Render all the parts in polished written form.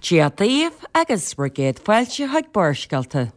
Dia daoibh agus bhur gcéad fáilte chuig Barrscéalta.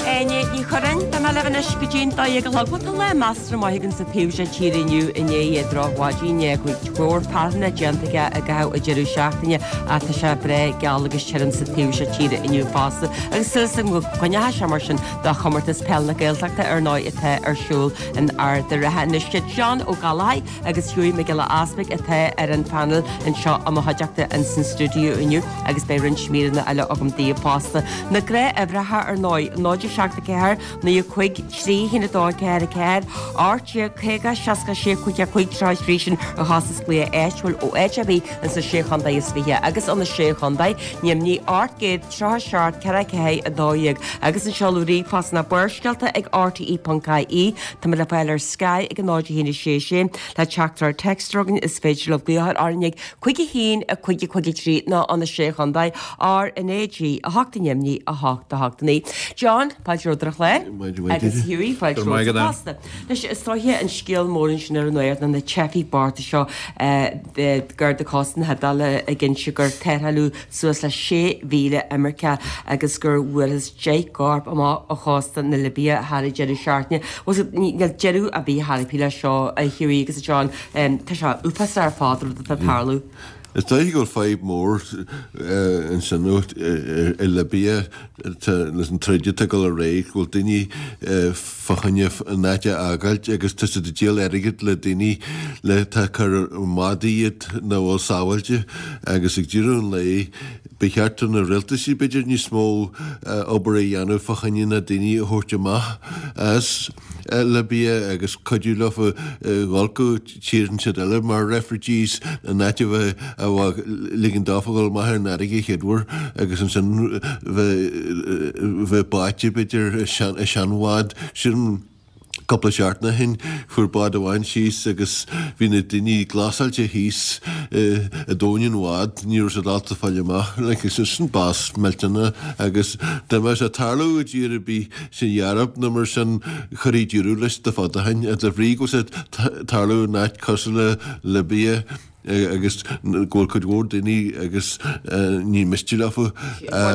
Áine Ní Churráin, beidh mé libh anois go dtí'n 12 a chlog. Bhuel, tá lá measartha maith againn sa taobh seo tíre inniu i ndiaidh drochmhaidin, i ndiaidh cuid mhór fearthainne déanta aige i gcaitheamh an deireadh seachtaine ach tá sé breá geal agus tirim sa taobh seo tíre inniu fosta. Agus súil agam go gcoinneoidh sé mar sin do chomórtas peil na Gaeltachta ar ndóigh atá ar siúl in Ard an Rátha anois. John Ó Gallchóir agus Hughie Mac Giolla Easpaig atá ar an phainéal anseo i mo chuideachta ins an stiúideo inniu agus beidh roinnt míreanna eile agam daoibh fosta. Na gnáthuimhreacha ar ndóigh, 0 7 4 9 5 3 1 2 4 4 18 50 66 5 5 33 sin ar chostas glaoch áitiúil ó áit ar bith ins na Sé Chontae is Fiche agus ó na Sé Chontae, Neimnigh 837 4 4 12 agus an seoladh ríomhphost ná barrscéalta ag rte.ie. Tá muid le fáil ar Sky ag 0 1 6 6 le teachtaireacht téacs chugainn is féidir libh glaoch orainn ag 5 1 5 5 3 nó ó na Sé Chontae R NA G 8 neimnigh 8 8 9. John, fáilte romhat ar an chlár. Agus Hughie, fáilte romhat fosta. Anois, is dóiche an scéal mór ansin ar an nuacht ná na teifigh bochta seo gar do chósta na hIodáile ag inse gur tarrtháladh suas le 6,000 imirceach agus gur fuarthas 10 gcorp amach ó chósta na Libia thar an deireadh seachtaine. Bhuel, níl deireadh ar bith chor ar bith leis seo, a Hughie agus a John. Tá sé uafásach ar fad an rud atá ag tarlú. Is dóiche go bhfuil fadhb mhór ansin i Libia leis an troid atá ag dul ar aghaidh, go bhfuil daoine fá choinne an áit a fhágáilt agus tá siad ag díol airgid le daoine le atá ag cur i mbádaí iad nach bhfuil sábháilte agus ag deireadh an lae ba cheart do na rialtaisí b'fhéidir níos mó obair a dhéanamh fá choinne na daoine a thabhairt amach as Libia agus cuidiú leo dhul go tír inteacht eile mar refugees in áit a bheith a ligean dófa dhul amach ar an fharraige a chéaduair agus ansin bheith báite b'fhéidir i seanbhád. Sin cúpla seachtain ó shin fuair bád amháin síos agus bhí na daoine glasáilte thíos i dtóin an bhád, ní raibh siad ábalta fáil amach. Like, sin bás millteanach agus dá mbeadh sé ag tarlú i dtír ar bith san Eoraip nó mar sin chuirfí deireadh leis le fada ó shin, de bhrí go bhfuil sé ag tarlú in áit cosúil le Libia agus go bhfuil cuid mhór daoine agus ní miste leofa.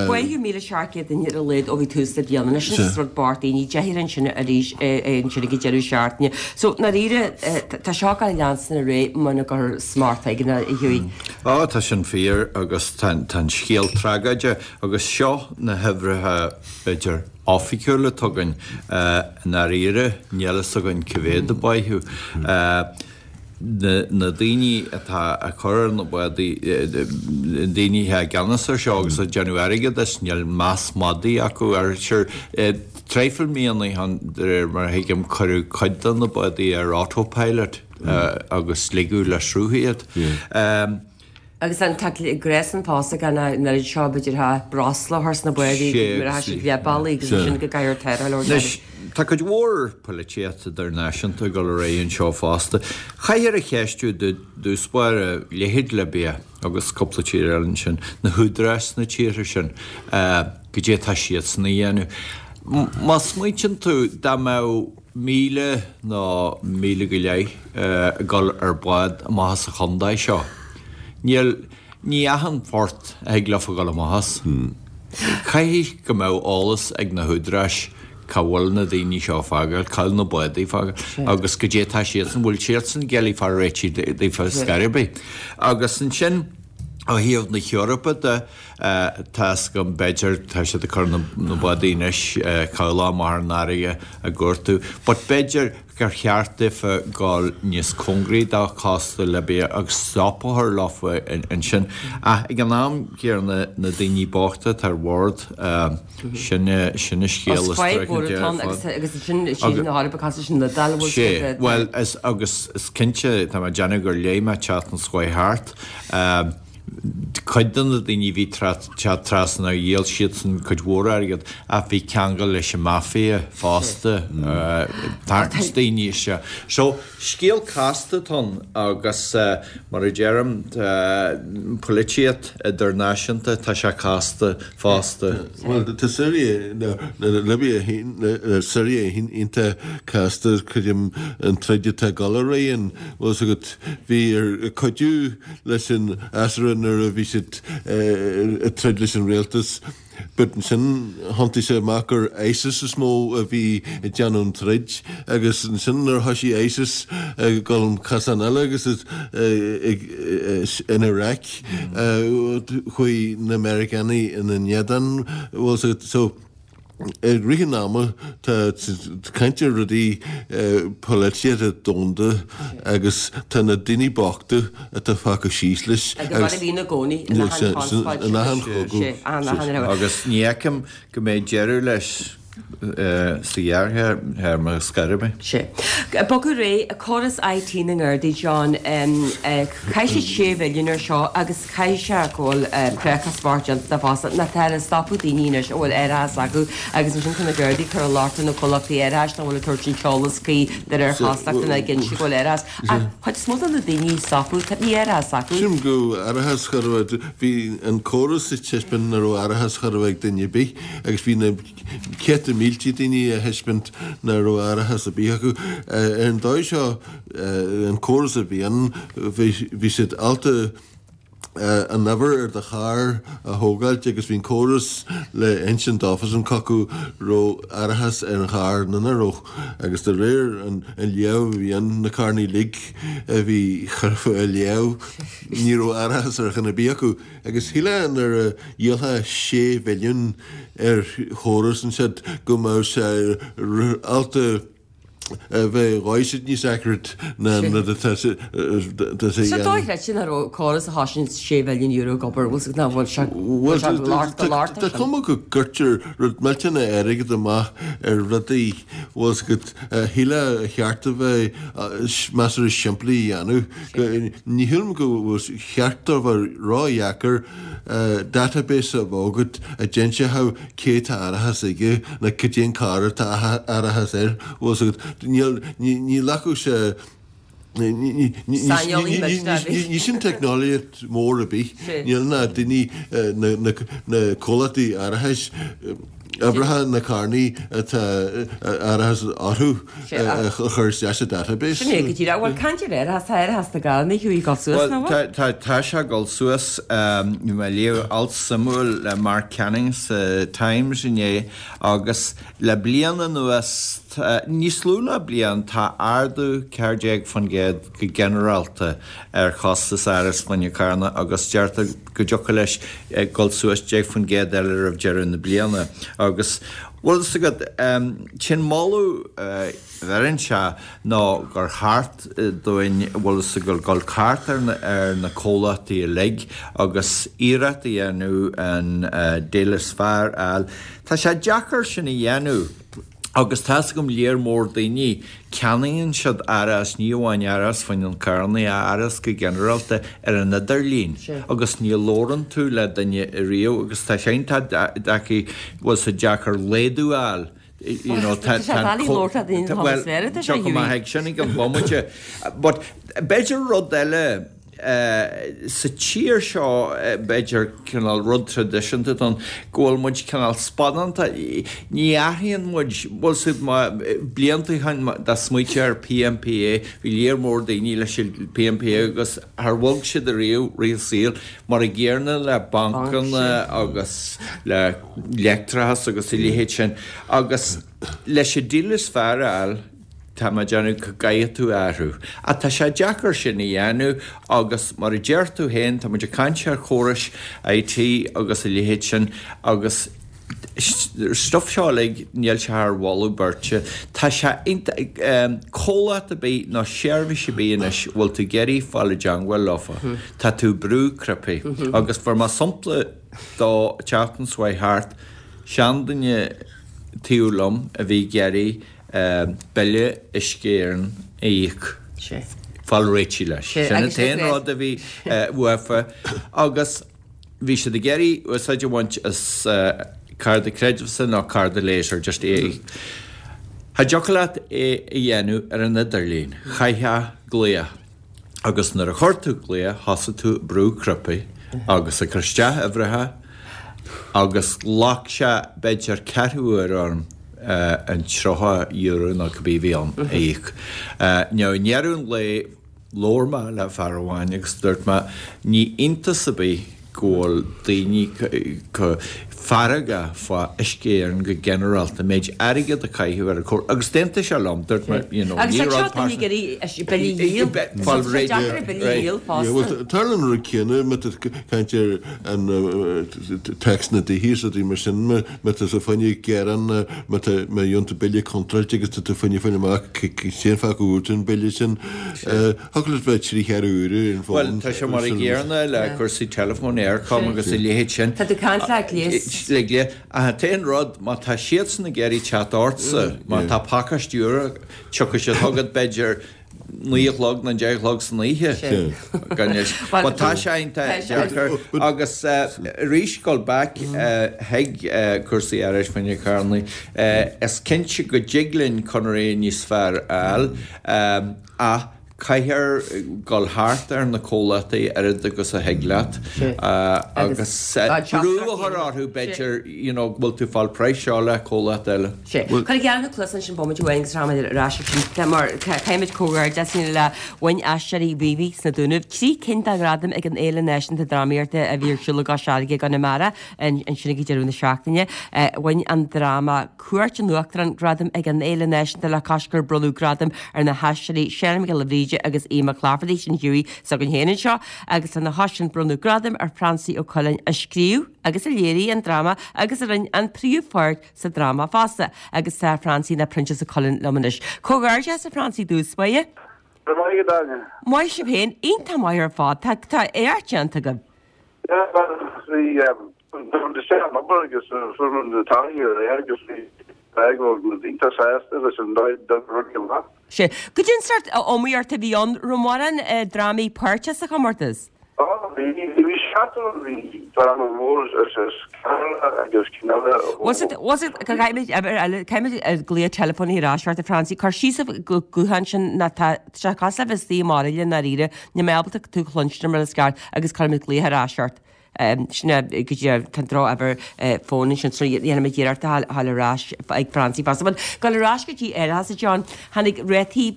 Báitheadh 1,700 duine ar a laghad ó bhí tús le bliana anois is rud bocht daoine deichniúr ansin arís ansin ag an deireadh seachtaine. So, ndáiríre, tá seo ag leanstan ar aghaidh muna gcuirtear smacht éigin air, a Hughie. Á, tá sin fíor agus tá an scéal tragóideach agus seo na huimhreacha b'fhéidir, oifigiúil atá againn. I ndáiríre, níl fhios againn cá mhéad a báitheadh. Na daoine atá ag cur ar na bádaí, na daoine atá i gceannas ar seo agus ag déanamh airgead as, níl meas madaidh acu air. Sure, traidhfil míonna ó shin, de réir mar a thuigim, cuireadh cuid de na bádaí ar autopilot agus ligeadh le sruth iad. Agus an tá gréasán fosta gan an oiread seo b'fhéidir thá breosla a chur sna bádaí nuair atá siad leath bealaigh agus ansin go gcaithfear tarrtháil a thabhairt Anois, tá cuid mhór poilitíocht idirnáisiúnta ag dul ar aghaidh anseo fosta. Chaithfear a cheistiú i dtús báire, leithéid Libia agus cúpla tír eile ansin, na húdaráis sna tíortha sin, goidé atá siadsan a dhéanamh. Má smaointíonn tú, dá mbeadh 1,000 nó 1,000 go leith ag dul ar bád amach as an chontae seo. Níl, ní achan phort a thig leofa dhul amach as. Caithfidh go mbeadh eolas ag na húdaráis cá bhfuil na daoine seo ag fágáil, cá bhfuil na bádaí ag fágáil agus goidé atá siadsan, bhfuil siadsan ag iarraidh fáil réitithe daofa scor ar bith. Agus ansin ó thaobh na hEorpa de, Tá fhios agam, b'fhéidir, tá siad ag cur na bádaí anois, cabhlach amach ar an fharraige á gcuartú, but b'fhéidir gur cheart daofa dul níos cóngaraí do chósta Libia agus stop a chur leofa ansin. Ach ag an am céanna, na daoine bochta atá ar bhord, sin sin an scéal is fadhb mhór atá ann agus agus ansin siad na hEorpa cosúil leis an Iodáil a bhfuil siad Bhuel, is agus is cinnte, tá mé ag déanamh gur léigh mé an tseachtain seo chuaigh thart. Cuid de na daoine a bhí teacht trasna, dhíol siadsan cuid mhór airgead ach bhí ceangal leis an mafia fosta, tarraingt daoine isteach. So, scéal casta atá ann agus mar a deirim, polaitíocht idirnáisiúnta, tá sé casta fosta. Bhuel, tá Siria, nó Libia féin, Siria féin iontach casta, creidim an troid atá ag dul ar aghaidh ann, bhfuil 'fhios agat, bhí ar cuidiú leis an fhreasúra nuair a bhí siad ag troid leis an rialtas but ansin thiontaigh sé amach gur ISIS is mó a bhí ag déanamh an troid agus ansin nuair a thoisigh ISIS ag dul an cosán eile agus in Iraq chuaigh na Meiriceánaigh ina n-éadan bhfuil 'fhios agat so I rith an ama tá caint ar rudaí polaitíochta domhanda agus tá na daoine bochta atá fágtha síos leis. Agus mar a bhíonn i gcónaí in achan chonspóid. In achan chogadh. Agus ní fheicim go mbeidh deireadh leis sa ghearrthéarma ar scor ar bith. Sea. Bogadh ar aghaidh, córas IT na nGardaí, John, chaith siad 6 mhilliún ar seo agus Caithfidh sé go bhfuil créachas mhór déanta de fosta nó tá ag stopadh daoine anois a bhfuil árachas acu agus ansin tá na Gardaí ag cur an locht ar na comhlachtaí árachais nach bhfuil ag tabhairt an t-eolas cuí de réir chastachta ná ag inse go bhfuil árachas ach chuid is mó de na daoine a stopadh tá ní árachas acu. Sílim go raibh árachas chor a bheith bhí an córas ag taispeáint nach raibh árachas chor a bheith ag duine ar bith agus bhí na céadta mílte daoine a thaispeáint nach raibh árachas ar bith acu. Ar an dóigh seo an córas a bhí ann, bhí siad ábalta an uimhir ar do charr a thógáilt agus bhí an córas le insint dófasan cé acu raibh árachas ar an charr nó nach raibh agus de réir an léamh a bhí ann, na carranna uilig a bhí curtha á léamh, ní raibh árachas ar cheann ar bith acu agus shílfeá nuair a dhíolfá sé mhilliún ar chóras ansiúd go mbeadh sé ábalta a bheith dhóigh siad níos accurate ná an rud atá sé a Sa dóigh chreidte nach raibh córas a thosaíonn €6 mhilliún ag obair, bhfuil nach bhfuil sé bhfuil sé lár do lár Tá cuma go gcuirtear rud millteanach airgead amach ar rudaí bhfuil 's agat a shílfeá a cheart a bheith measartha simplí a dhéanamh. Ní shílim go bhfuil cheart a bheith ródheacair database a bheith agat a d'inseodh cé tá árachas aige nó cad é an carr atá árachas air, bhfuil 's agat, níl, ní ghlacfadh sé, ní, ní, Saineolaí muid, ní, ní sin teicneolaíocht mór ar bith, níl na daoine, na, na, na comhlachtaí árachais, uimhreacha na carrannaí atá árachas orthu a chur isteach sa database. Sin é go díreach. Bhuel, caint ar árachas, tá árachas na gcarrannaí ag dul suas, nach bhfuil? Tá, tá sé ag dul suas. Bhí mé ag léamh alt suimiúil le Mark Canning sa Times inné agus le bliain anuas, níos lú ná bliain, tá ardú 14% go ginearálta ar chostas árachas fá choinne carranna agus deirtear go dtiocfadh leis dul suas 10% eile roimh deireadh na bliana. Agus, bhfuil fhios agat, sin moladh a bheireann sé ná gur cheart dúinn, bhfuil fhios agat, dul thart ar na comhlachtaí uilig agus iarracht a dhéanamh an deal is fearr a fháil. Tá sé deacair sin a dhéanamh. Agus tá's agam léar mór daoine, ceannaíonn siad árachas, ní amháin árachas fá choinne carrannaí, ach árachas go ginearálta ar an idirlíon agus ní labhrann tú le duine riamh agus tá sé iontach deacair, bhfuil sé deacair laghdú a fháil, you know, tá, tá an co- bhuel, tiocfaidh mé chuig sin ag an bhomaite. But b'fhéidir rud eile, Sa tír seo, b'fhéidir, cineál rud traidisiúnta atá ann, go bhfuil muid cineál spadánta. Ní athraíonn muid, bhfuil 's agat, má, blianta ó shin, dá smaointeofá ar PMPA, bhí léar mór daoine leis an PMPA agus char bhog siad ariamh rith a saoil, mar a gcéanna le bancanna agus le leictreachas agus a leithéid sin. Agus leis an deal is fearr a fháil, Tá mé ag déanamh go gcaithfidh tú athrú. Ach tá sé deacair sin a dhéanamh agus mar a deir tú féin, tá muid ag caint ar chórais IT agus a leithéid sin agus stuif seo uilig, níl sé thar mholadh beirte. Tá sé iontach, comhlacht ar bith nó seirbhís ar bith anois a bhfuil tú ag iarraidh fáil i dteangmháil leofa, tá tú ag brú cnaipí. Agus fuair mé sampla dó an tseachtain seo chuaigh thart, seanduine taobh liom a bhí ag iarraidh bille Uisce Éireann a íoc. fáil réitithe leis. Sin an t-aon rud a bhí uafa agus bhí siad ag iarraidh úsáid a bhaint as cárta creidmheasa nó cárta laser, just é. Cha dtiocfadh leat é a dhéanamh ar an idirlíon, chaithfeá glaoch agus nuair a chuir tú glaoch thosaigh tú ag brú cnaipí agus ag cur isteach uimhreacha agus ghlac sé b'fhéidir ceathrú uair orm an €30 nó cibé a bhí ann a íoc. Now i ndeireadh an lae labhair mé le fear amháin agus dúirt mé ní iontas ar bith go bhfuil daoine chomh feargach fá Uisce Éireann go ginearálta, an méid airgead a caitheadh ar an chóras agus d'aontaigh sé liom, dúirt mé you know ní rud pearsanta. Agus tá seo daoine ag iarraidh billí a dhíol, tá sé deacair billí a dhíol fosta. Bhuel tarlaíonn an rud céanna má tá tú ag caint ar an tax na dtithe is rudaí mar sin, má tá tú fá choinne gearán má tá má gheobhann tú bille contráilte agus tá tú fá choinne fáil amach cén fáth go bhfuair tú an bille sin. Thiocfadh leat bheith trí cheathrú uaire ar an bhfón. Bhuel, tá sé mar an gcéanna le cúrsaí teileafóin, Eircom agus a leithéid sin. Tá tú ag caint le gléas. Le gléas. Ach an t-aon rud, má tá siadsan ag iarraidh teacht ortsa, má tá pacáiste úr, tiocfaidh siad chugat b'fhéidir 9 a chlog nó 10 a chlog san oíche. Gan fhios. But tá sé iontach deacair. Agus arís, dul back chuig cúrsaí árachais fá choinne carrannaí, is cinnte go dtig linn conairí níos fearr a fháil. Ach caithfear dul thart ar na comhlachtaí oiread agus a thig leat agus brú a chur orthu b'fhéidir you know go bhfuil tú ag fáil praghas seo le comhlacht eile. Sea. Cuir geall na cluasa ansin bomaite amháin agus rachaimid ar ais ansin mar caithfimid comhghairdeas a dhéanamh le bhain Aisteoirí Mhíobhaigh sna Dúnaibh 3 cinn de ghradaim ag an Fhéile Náisiúnta Drámaíochta a bhí ar siúl i gCois Fharraige i gConamara ansin ag deireadh na seachtaine. Bhain an dráma Cuairt an Uachtaráin gradam ag an Fhéile Náisiúnta le cois gur bronnadh gradaim ar na haisteoirí Seán Mac Giolla Bhríde agus Aodh Mac Laifeartaigh, sin Hughie s'againn féin anseo, agus lena chois sin bronnadh gradaim ar Phransaí Ó Coileáin a scríobh agus a léirigh an dráma agus a rinne an príomhpháirt sa dráma fosta. Agus tá Francie nó Proinsias Ó Coileáin liom anois. Comhghairdeas a Phransaí i dtús báire. Go raibh maith agat Áine. Maith sibh féin, iontach maith ar fad. Tá éacht déanta agaibh. Yeah, bhuel, bhí muid isteach an obair agus fuair muid na torthaí aréir agus bhí muid iontach sásta leis an dóigh a d'oibrigh rudaí amach. Sea. Goidé an sórt iomaíocht a bhí ann, raibh mórán drámaí páirteach sa chomórtas? Ó, bhí, bhí seachtar ann, bhí dráma mór as Ceatharlach agus cinn eile ó. Was it, was it, caithfimid, caithfimid glaoch teileafóin ar ais ort a Phransaí, cuir síos an guthán sin ná tá sé cosúil le bheith istigh i mbairille i ndáiríre, níl mé ábalta tú a chluinstin mar is ceart agus cuirfimid glaoch ar ais ort. Sin é go dtí tá an drochuimhir fóin ansin so dhéanfaimid iarracht a fháil ar ais ag Francie fosta. But dul ar ais go dtí árachas a John, tháinig rátaí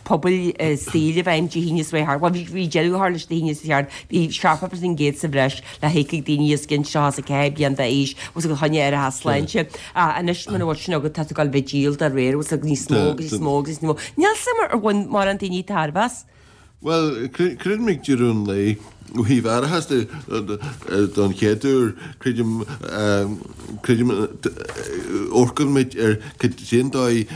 pobail saoil i bhfeidhm Dé hAoine seo thart. Bhuel bhí deireadh á chur leis Dé hAoine seo thart, bhí 70% sa bhreis le híoc ag daoine os cionn 34 bliain d'aois agus fá choinne árachas sláinte. Anois muna bhfuil sin agat tá tú ag dul a bheith ag díol dá réir agus níos mó agus níos mó agus níos mó. Níl 's agam ar bhain mórán daoine tairbhe as. Bhuel, creidim ag deireadh an lae, ó thaobh árachas de, don chéad uair, creidim, creidim, amharcann muid ar cén dóigh,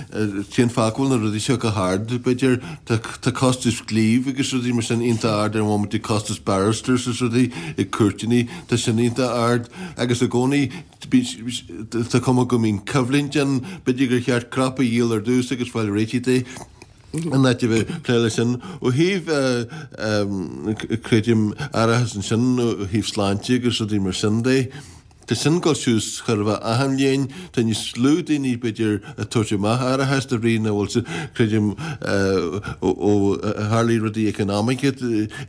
cén fáth go bhfuil na rudaí seo chomh hard, b'fhéidir, tá costas claímh agus rudaí mar sin iontach ard ar an bhomaite, costas barristers is rudaí ag cúirteanna, tá sin iontach ard agus i gcónaí tá cuma go mbíonn coimhlint ann, b'fhéidir gur cheart cnaipe a dhíol ar dtús agus fáil réitithe de. in áit a bheith ag plé leis sin. Ó thaobh, creidim, árachas ansin, ó thaobh sláinte agus rudaí mar sin de, tá sin ag dul suas chóir a bheith achan bhliain. Tá níos lú daoine, b'fhéidir, ag tabhairt amach árachas de bhrí nach bhfuil siad, creidim, ó tharlaigh rudaí eaconamaíocha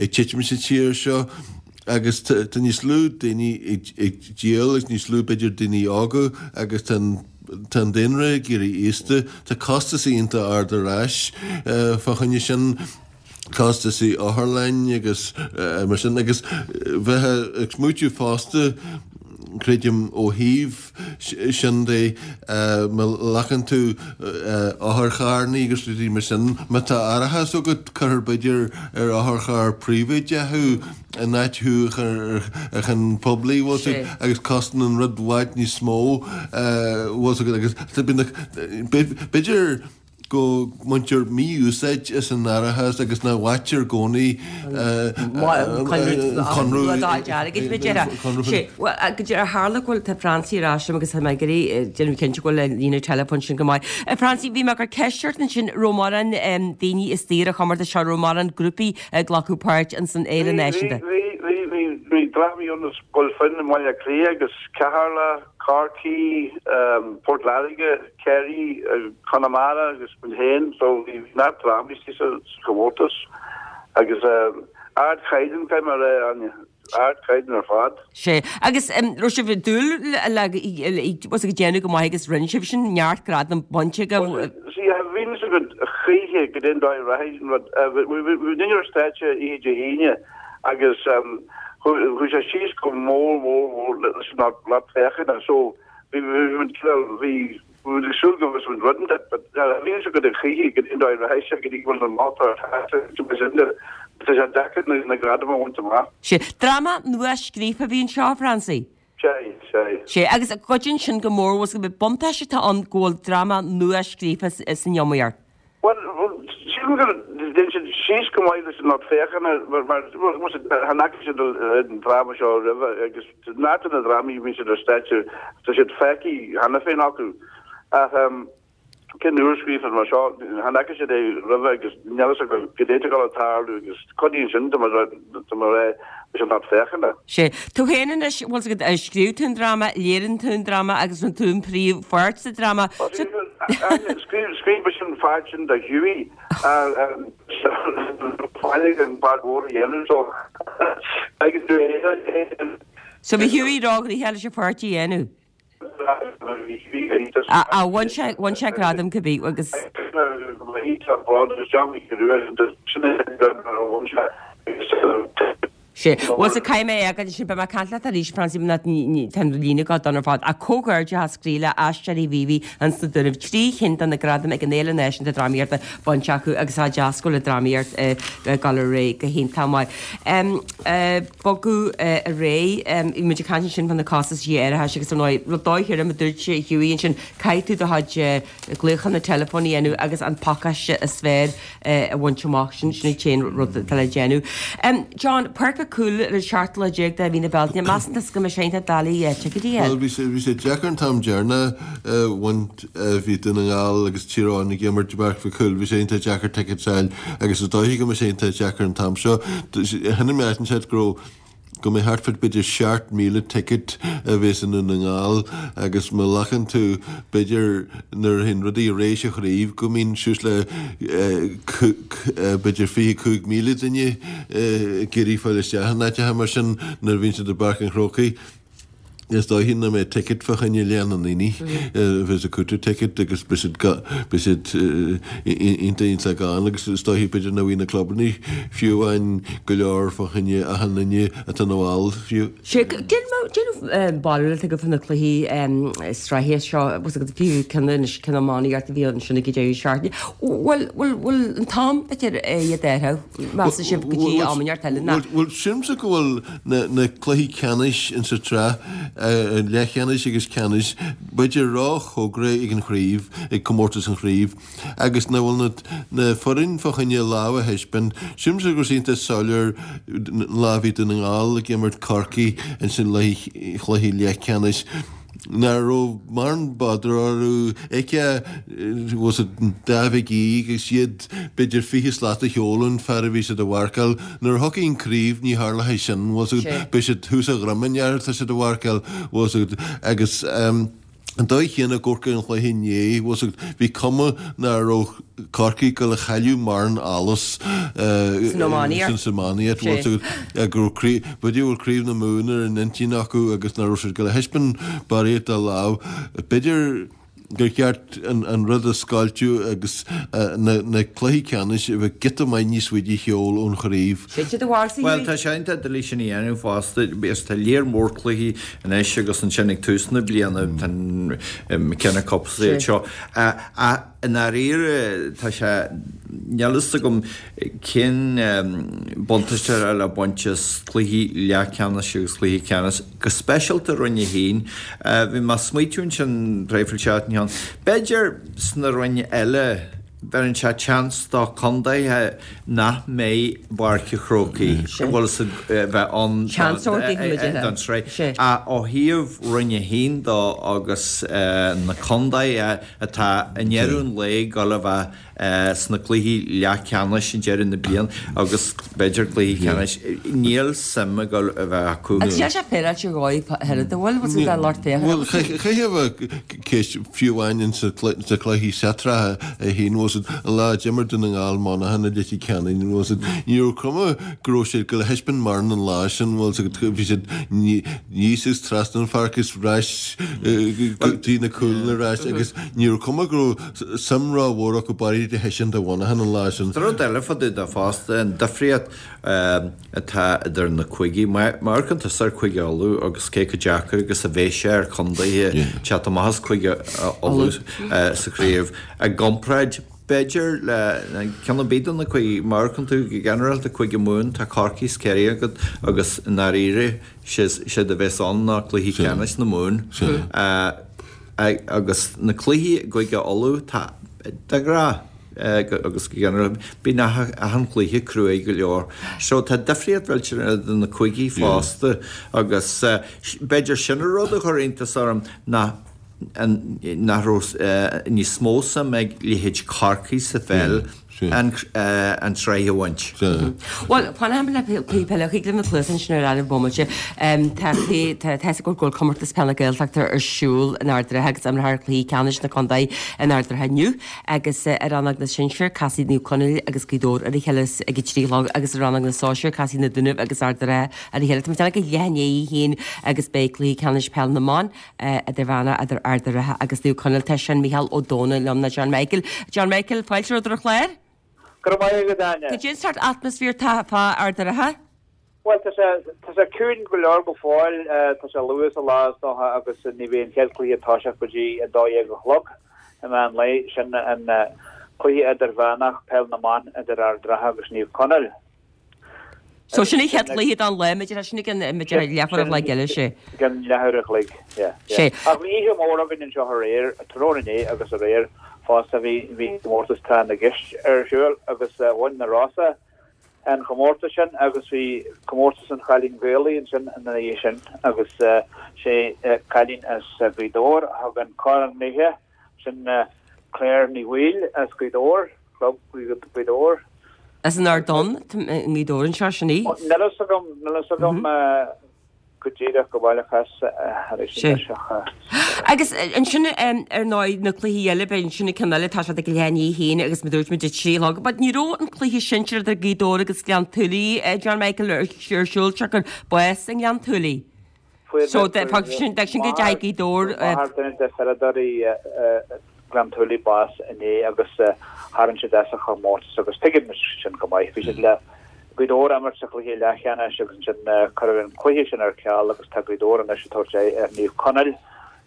ag titim sa tír seo agus tá níos lú daoine ag díol agus níos lú, b'fhéidir, daoine óga agus tá an, Tá an daonra ag éirí aosta, tá costas iontach ard ar ais fá choinne sin, costasaí otharlainn agus mar sin agus bheith ag smaoitiú fosta, creidim, ó thaobh sin de, má ghlacann tú otharcharrannaí agus rudaí mar sin, má tá árachas agat, cuirfear b'fhéidir ar otharcharr príobháideach thú. in áit thú a chur ar cheann poiblí, bhfuil 's agat, agus cosnaíonn an rud i bhfad níos mó, bhfuil 's agat, agus b'fhéidir. go mbaintear mí-úsáid as an árachas agus nach bhfaightear i gcónaí conradh airgid, b'fhéidir. Sé, bhuel, go dtí ar tharla go bhfuil, tá Francie ar ais liom agus tá mé ag iarraidh déanamh cinnte go bhfuil an líne teileafóin sin go maith. Francie, bhí mé ag cur ceist ort ansin, raibh mórán daoine istigh ar an chomórtas seo, raibh mórán grúpaí ag glacadh páirt ins an Fhéile Náisiúnta? Bhí, bhí, bhí, bhí drámaí ann as Scoil Finn i mBaile Átha Cliath agus Ceatharlach, Corcaigh, Port Láirge, Ciarraí, Conamara agus muid féin so bhí neart drámaí istigh sa chomórtas agus ardchaighdeán caithfidh mé a rá Áine, ardchaighdeán ar fad. Sea, agus raibh sibh ag dúil le bhfuil ag déanamh go maith agus rinne sibh sin, neart gradam bainte agaibh. See, bhí fhios againn choíche goidé an dóigh a rachaidh an rud. Bhí muidinne ar stáitse oíche Dé hAoine agus chuaigh sé síos go mór mór mór leis an lucht féachana so Bhí muid cineál, bhí muid ag súil go bhfuil muid rud inteacht but bhí fhios againn choíche goidé an dóigh a rachaidh sé go dtí go bhfuil an lá atá thart sin de tá sé deacair na gradaim a bhaint amach. Sea. Dráma nua scríofa a bhí anseo, a Francie? Sea, sea. Sea, agus cuidíonn sin go mór, bhfuil 's agat, buntáiste atá ann go bhfuil dráma nua scríofa san iomaíocht. Bhuel, sílim go dtéann siad síos go maith leis an lucht féachana mar chan fhaca siad an dráma seo roimhe agus neart de na drámaí a bhíonn siad ar stáitse tá siad feicthe cheana féin acu. Ach ceann úr scríofa mar seo, chan fhaca siad é roimhe agus níl fhios acu goidé atá ag dul a tarlú agus cuidíonn sin tá mé a rá leis an lucht féachana. Sea. Tú féin anois, bhfuil 's agat, scríobh tú an dráma, léirigh tú an dráma agus rinne tú an príomhpháirt sa dráma. Scríobh mise an pháirt sin do Hughie fáiligh an pháirt mhór a dhéanamh so agus tú So bhí Hughie róghnoitheach leis an pháirt a dhéanamh. Á bhain sé, bhain sé gradam cibé agus. Sea. Bhuel so caithfidh mé é a fhágáil ansin, beidh mé ag caint leat arís, Francie, nó tá an líne ag dul donn ar fad. Ach comhghairdeachas croí le Aisteoirí Mhíobhaigh ins na Dúnaibh, 3 chinn de na gradaim ag an Fhéile Náisiúnta Drámaíochta bainte acu agus tá deas go bhfuil an drámaíocht ag dul ar aghaidh go hiontach maith. Bogadh ar aghaidh, bhí muid ag caint ansin fá na costaisí árachais agus ar ndóigh, rud dóigh thirim a dúirt Hughie ansin, caithfidh tú do chuid glaochanna teileafóin a dhéanamh agus an pacáiste is fearr a bhaint amach, sin an t-aon rud atá le déanamh. John, Páirc Mhic Cumhaill ar an seachtú lá déag de mhí na Bealtaine, measann tusa go mbeidh sé iontach doiligh ticéidí a fháil? Bhuel, bhí sé, bhí sé deacair an t-am deireanach a bhaint, bhí Dún na nGall agus Tír Eoghain ag imirt i bPáirc Mhic Cumhaill, bhí sé iontach deacair tickets a fháil agus is dóiche go mbeidh sé iontach deacair an t-am seo. Chonaic mé áit inteacht go raibh go mbeidh thart fá b'fhéidir 7,000 ticket a bheas i nDún na nGall agus má ghlacann tú b'fhéidir nuair a théann rudaí ar aghaidh sa chraobh go mbíonn suas le b'fhéidir 25,000 duine ag iarraidh fáil isteach in áiteacha mar sin nuair a bhíonn siad i bPáirc an Chrócaigh. Is dóiche nach mbeidh ticket fá choinne leath na ndaoine a bheas ag cúiteamh ticket agus beidh siad beidh siad iontach iontach gann agus is dóiche b'fhéidir nach bhfaighidh na clubanna fiú amháin go leor fá choinne achan duine atá ina bhall fiú. Sea, cén bharúil atá agat fá na cluichí sraithe seo agus fiú ceann anois ceann iománaíocht a bhí ansin ag an deireadh seachtaine. Bhfuil bhfuil bhfuil an t-am b'fhéidir iad a athrú? Measann sibh go dtí am inteacht eile ná? Bhuel sílimse go bhfuil na cluichí ceannais insa tsraith, leathcheannais agus ceannais, b'fhéidir ró-chóngarach ag an chraobh, ag comórtas an chraobh, agus nach bhfuil na foireann fá choinne lámh a thaispeáint. Sílimse go raibh sé iontach soiléir an lá a bhí Dún na nGall ag imirt Corcaigh insan chluiche leathcheannais. nach raibh mórán bother orthu, fheicfeá bhfuil siad dá mhic aoidh agus iad b'fhéidir 20 slat a sheol ón fear a bhí siad a mharcáil. Nuair a thiocfaidh an craobh ní tharlóidh sin, bhfuil 's agat, beidh siad thuas a dhroim an fhear atá siad a mharcáil, bhfuil 's agat, agus an dóigh chéanna ag amharc ar an chluiche inné, bhfuil 's agat, bhí cuma nach raibh Corcaigh ag dul a chailleadh mórán allas san iománaíocht. San iománaíocht, bhfuil 's agat, go raibh craobh, b'fhéidir go bhfuil craobh na Mumhan ar an intinn acu agus nach raibh siad ag dul a thaispeáint barraíocht de lámh. B'fhéidir gur cheart an rud a scoilteadh agus na cluichí ceannais a bheith giota maith níos faide a sheol ón chraobh. Sin do bharúilsa Bhuel, tá sé iontach doiligh sin a dhéanamh fosta. Is tá léar mór cluichí anois agus ansin ag tús na bliana, tá an McKenna Cup is iad seo. Ach I ndáiríre, tá sé, níl fhios agam cén buntáiste atá le baint as cluichí leathcheannais agus cluichí ceannais, go speisialta Roinn 1. Bhí mé ag smaoitiú ansin traidhfil seachtain cheann. B'fhéidir sna roinn eile. Bheireann sé chance do chontaetha nach mbeidh i bPáirc an Chrócaigh, bhfuil fhios a'd, bheith ann don tsraith. Ach ó thaobh Roinn 1 dó agus na contaetha atá i ndeireadh an lae ag dul a bheith sna cluichí leathcheannais i ndeireadh na bliana agus b'fhéidir cluichí ceannais, níl suim ag dul a bheith acu. Agus tá sé féaráilte dhóibh oiread, an bhfuil? Bhfuil siad lucht féachana? Bhuel, chaithfeá a bheith ceist fiú amháin in sa cluiche sa tsraith a haon, bhfuil fhios a'd, an lá a d'imir Dún na nGall Monaghan i Leitir Ceanainn, bhfuil fhios a'd, ní raibh cuma go raibh siad ag dul a thaispeáint mórán an lá sin, bhfuil fhios agat, bhí siad aníos agus trasna an pháirc is ar ais go dtí na cúlanna ar ais agus ní raibh cuma go raibh suim ró-mhór acu bailithe de thaispeáint do Mhonaghan an lá sin. Rud eile fá dtaobh de fosta, an difríocht atá idir na cúigí. Má amharcann tusa ar Chúige Uladh agus cé chomh deacair agus a bheidh sé ar chontaetha teacht amach as Cúige Uladh sa chraobh i gcomparáid, b'fhéidir, le ceann ar bith de na cúigí. Má amharcann tú go ginearálta Cúige Mumhan, tá Corcaigh is Ciarraí agat agus i ndáiríre, séard a bheas ann ná cluiche ceannais na Mumhan. Agus na cluichí i gCúige Uladh, tá, de ghnáth, agus go ginearálta, bíonn achan chluiche cruaidh go leor. So tá difríocht mhillteanach idir na cúigí fosta agus b'fhéidir sin an rud a chuir iontas orm nach nach raibh níos mó suim ag leithéid Chorcaí sa pheil an tsraith a bhaint. Bhuel, fanfaidh mé le cluiche peile chuig na cluasa ansin ar an bhomaite. Tá tá a fhios agaibh go bhfuil Comórtas Peile na Gaeltachta ar siúl in Ard an Rátha agus imreofar cluichí ceannais na contae in Ard an Rátha inniu agus i rannóg na sinsear casfaidh Naomh Conaill agus Gaoth Dobhair ar a chéile ag a trí a chlog agus i rannóg na sóisear casfaidh na Dúnaibh agus Ard an Rátha ar a chéile. Tá mé ag déanamh ag leath i ndiaidh a haon agus beidh cluiche ceannais peil na mban Idirmheánach idir Ard an Rátha agus Naomh Conaill. Tá sin Micheál Ó Domhnaill liom, nó John Michael. John Michael, fáilte romhat ar an chlár. Go raibh maith agat, Áine. Cad é an sórt atmaisféar atá fá Ard an Rátha? Bhuel, tá sé, tá sé ciúin go leor go fóill. Tá sé luath sa lá, is dócha, agus ní bheidh an chéad chluiche ag toiseacht go dtí 12 a chlog i meán lae. Sin an cluiche idirmheánach, Peil na mBan idir Ard an Rátha agus Naomh Conaill. So sin an chéad chluiche don lá, b'fhéidir, sin ag an, b'fhéidir leathuair a chloig eile, sé. I gcionn leathuair a chloig, yeah, yeah. Sé. Ach bhí oíche mhór againn anseo aréir, tráthnóna inné agus aréir fosta, bhí, bhí comórtas Tráth na gCeist ar siúl agus bhain na Rosa an chomórtas sin agus bhí comórtas an Chailín Ghaelaigh ansin ina dhiaidh sin agus sé cailín as Gaoth Dobhair a thug an corn léithe. Sin Claire Ní Bhaoill as Gaoth Dobhair, Club Ghaoth Dobhair. As an Ardán i nGaoth Dobhair anseo, sin í. Níl fhios agam, níl fhios agam go díreach go baileach as thar éis Sé. an ach. Agus ansin ar ndóigh na cluichí eile, beidh ansin an ceann eile, tá siad ag leath i ndiaidh a haon agus mar dúirt muid a 3 a chlog. But ní raibh an cluiche sinsir idir Gaoth Dobhair agus Gleann tSúilí, John Michael, ar siúl, siocair bás i nGleann tSúilí. Fuair So, d'fhág sin go dteachaigh Gaoth Dobhair. Fuair máthair duine de pheileadóirí Ghleann tSúilí bás inné agus tharraing siad as an chomórtas agus tuigim sin go maith. Bhí siad le Gaoth Dobhair a imirt sa chluiche leathcheannais agus ansin cuireadh an cluiche sin ar ceal agus tá Gaoth Dobhair anois ag tabhairt aghaidh ar Naomh Conaill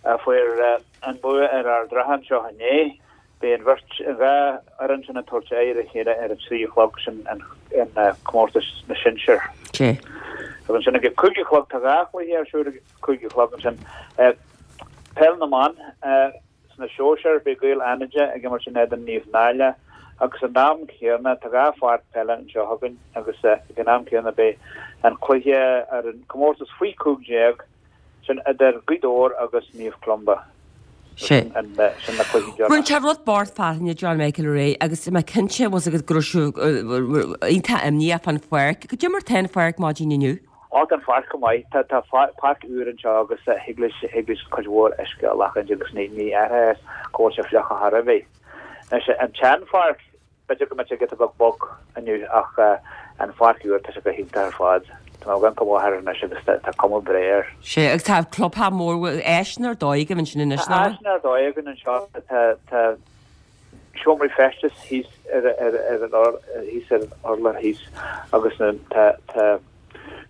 a fuair an bua ar Ard an Rátha anseo inné. Beidh an bheirt, an dhá fhoireann sin ag tabhairt aghaidh ar a chéile ar a trí a chlog, sin an comórtas na sinsear. Sea. Agus ansin ag a cúig a chlog, tá dhá chluiche ar siúl ag a cúig a chlog ansin. Peil na mban sna sóisir, beidh Gaeil Fhánada ag imirt in éadan Naomh Náille agus an am céanna, tá dhá pháirc peile anseo againn agus ag an am céanna beidh an cluiche ar an comórtas faoi 15, Sin idir Gaoth Dobhair agus Naomh Columba. Sé. Sin na cluichí deireanacha. Rinne sé rud bocht fearthainne John Michael aréir agus mé cinnte bhfuil fhios agat go raibh sibh iontach imníoch fán pháirc. Goidé mar tá an pháirc maidin inniu? Á tá an pháirc go maith. Tá tá páirc úr anseo agus thig leis thig leis cuid mhór uisce a ghlacadh agus ní ní aithreofá go bhfuil sé fliuch ar chor ar bith. Anois an tsean-pháirc B'fhéidir go mbeadh sé giota beag bog inniu ach an pháirc úr, tá sé go hiontach ar fad. Tá mé ag amharc amach air anois agus tá cuma breá air. Sea, agus tá clubtheach mór, áiseanna ar dóigh agaibh ansin anois, Tá nach bhfuil? áiseanna ar dóigh againn anseo. Tá tá seomraí feistis thíos ar ar ar an thíos ar an urlár thíos agus tá tá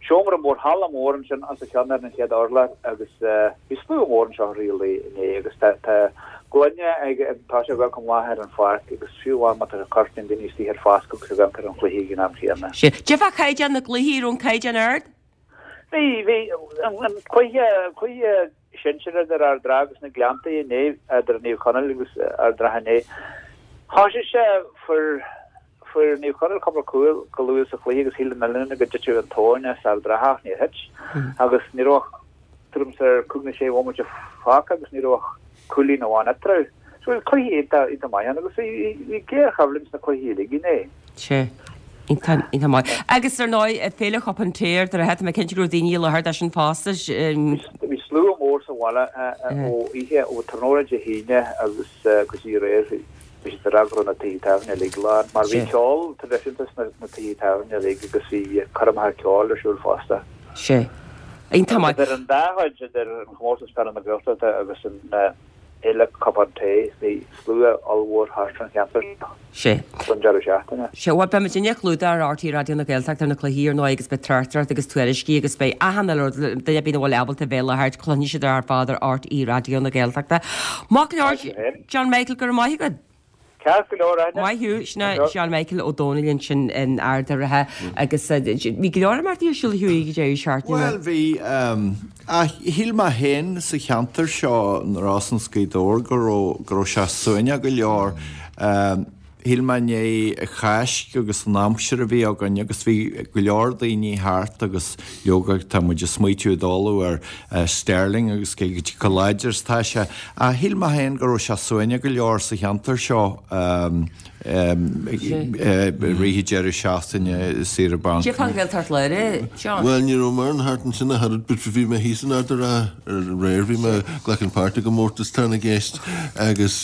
Seomra mór, halla mór ansin os a chionn ar an chéad urlár agus bhí slua mór anseo i rith an lae inné agus tá tá gloine ag tá sé ag dul go maith ar an pháirc agus fiú amháin má tá sé corr bíonn daoine istigh ar foscadh agus ag amharc ar an chluiche ag an am chéanna. Sea. Cad é fá chaighdeán na gcluichí, raibh an caighdeán ard? Bhí, bhí, an cluiche, an cluiche sinsir idir Ard an Rátha agus na Gleanntaí inné, idir Naomh Conaill agus Ard an Rátha inné. Thoisigh sé, fuair, fuair Naomh Conaill cúpla cúl go luath sa chluiche agus shíl an uile dhuine go dtitfeadh an tóin as Ard an Rátha ach níor thit agus ní raibh ach tuairim is ar chúig nó sé bhomaite fágtha agus ní raibh ach cúilín amháin eatarthu. So bhí cluiche iontach, iontach maith ann agus bhí, bhí géarchoimhlint sna cluichí uilig inné. Sea. Iontach, iontach maith. Agus ar ndóigh, Féile Chupán Tae Ard an Rátha, tá mé cinnte go raibh daoine i láthair dó sin fosta. Bhí slua mór sa bhaile ó oíche, ó tráthnóna Dé hAoine agus go dtí aréir. Bhí siad ag rá go raibh na tithe tábhairne uilig lán, mar bhí ceol traidisiúnta sna tithe tábhairne uilig agus bhí coirmeacha ceoil ar siúl fosta. Sea. Iontach maith. Idir an dá chuid, idir an Chomórtas Peile na Gaeltachta agus an Fhéile Cupán Tae, bhí slua ollmhór thart ar an cheantar Sea. don deireadh seachtaine. Sea, bhuel, beidh muidinne ag clúdach ar RTÉ Raidió na Gaeltachta ar na cluichí, ar ndóigh, agus beidh tráchtaireacht agus tuairiscí agus beidh achan uile rud, duine ar bith nach bhfuil ábalta bheith i láthair, cluinfidh siad ar fad ar RTÉ Raidió na Gaeltachta. Maith go leor, John Michael, go raibh maith agat. Ceart go leor, Áine. Maith thú. Sin é John Michael Ó Dónaill ansin in Ard an Rátha agus bhí go leor imeachtaí ar siúl a Hughie ag an deireadh seachtaine. Bhuel, bhí, ach shíl mé féin sa cheantar seo, na Rosann is Gaoth Dobhair, go raibh, go raibh sé suaimhneach go leor. Shíl mé i ndiaidh an Cháisc agus an aimsir a bhí againn agus bhí go leor daoine thart agus leoga tá muid ag smaoitiú i dtólamh ar Sterling agus cé chomh láidir is atá sé. Ach shíl mé féin go raibh sé suaimhneach go leor sa cheantar seo i rith an deireadh seachtaine, saoire bainc. Cé fán Ghaeltacht Láir, John? Bhuel, ní raibh mórán thart ansin ach oiread, but bhí mé thíos in Ard an Rátha aréir, bhí mé ag glacadh páirt i gcomórtas tráth na gceist agus,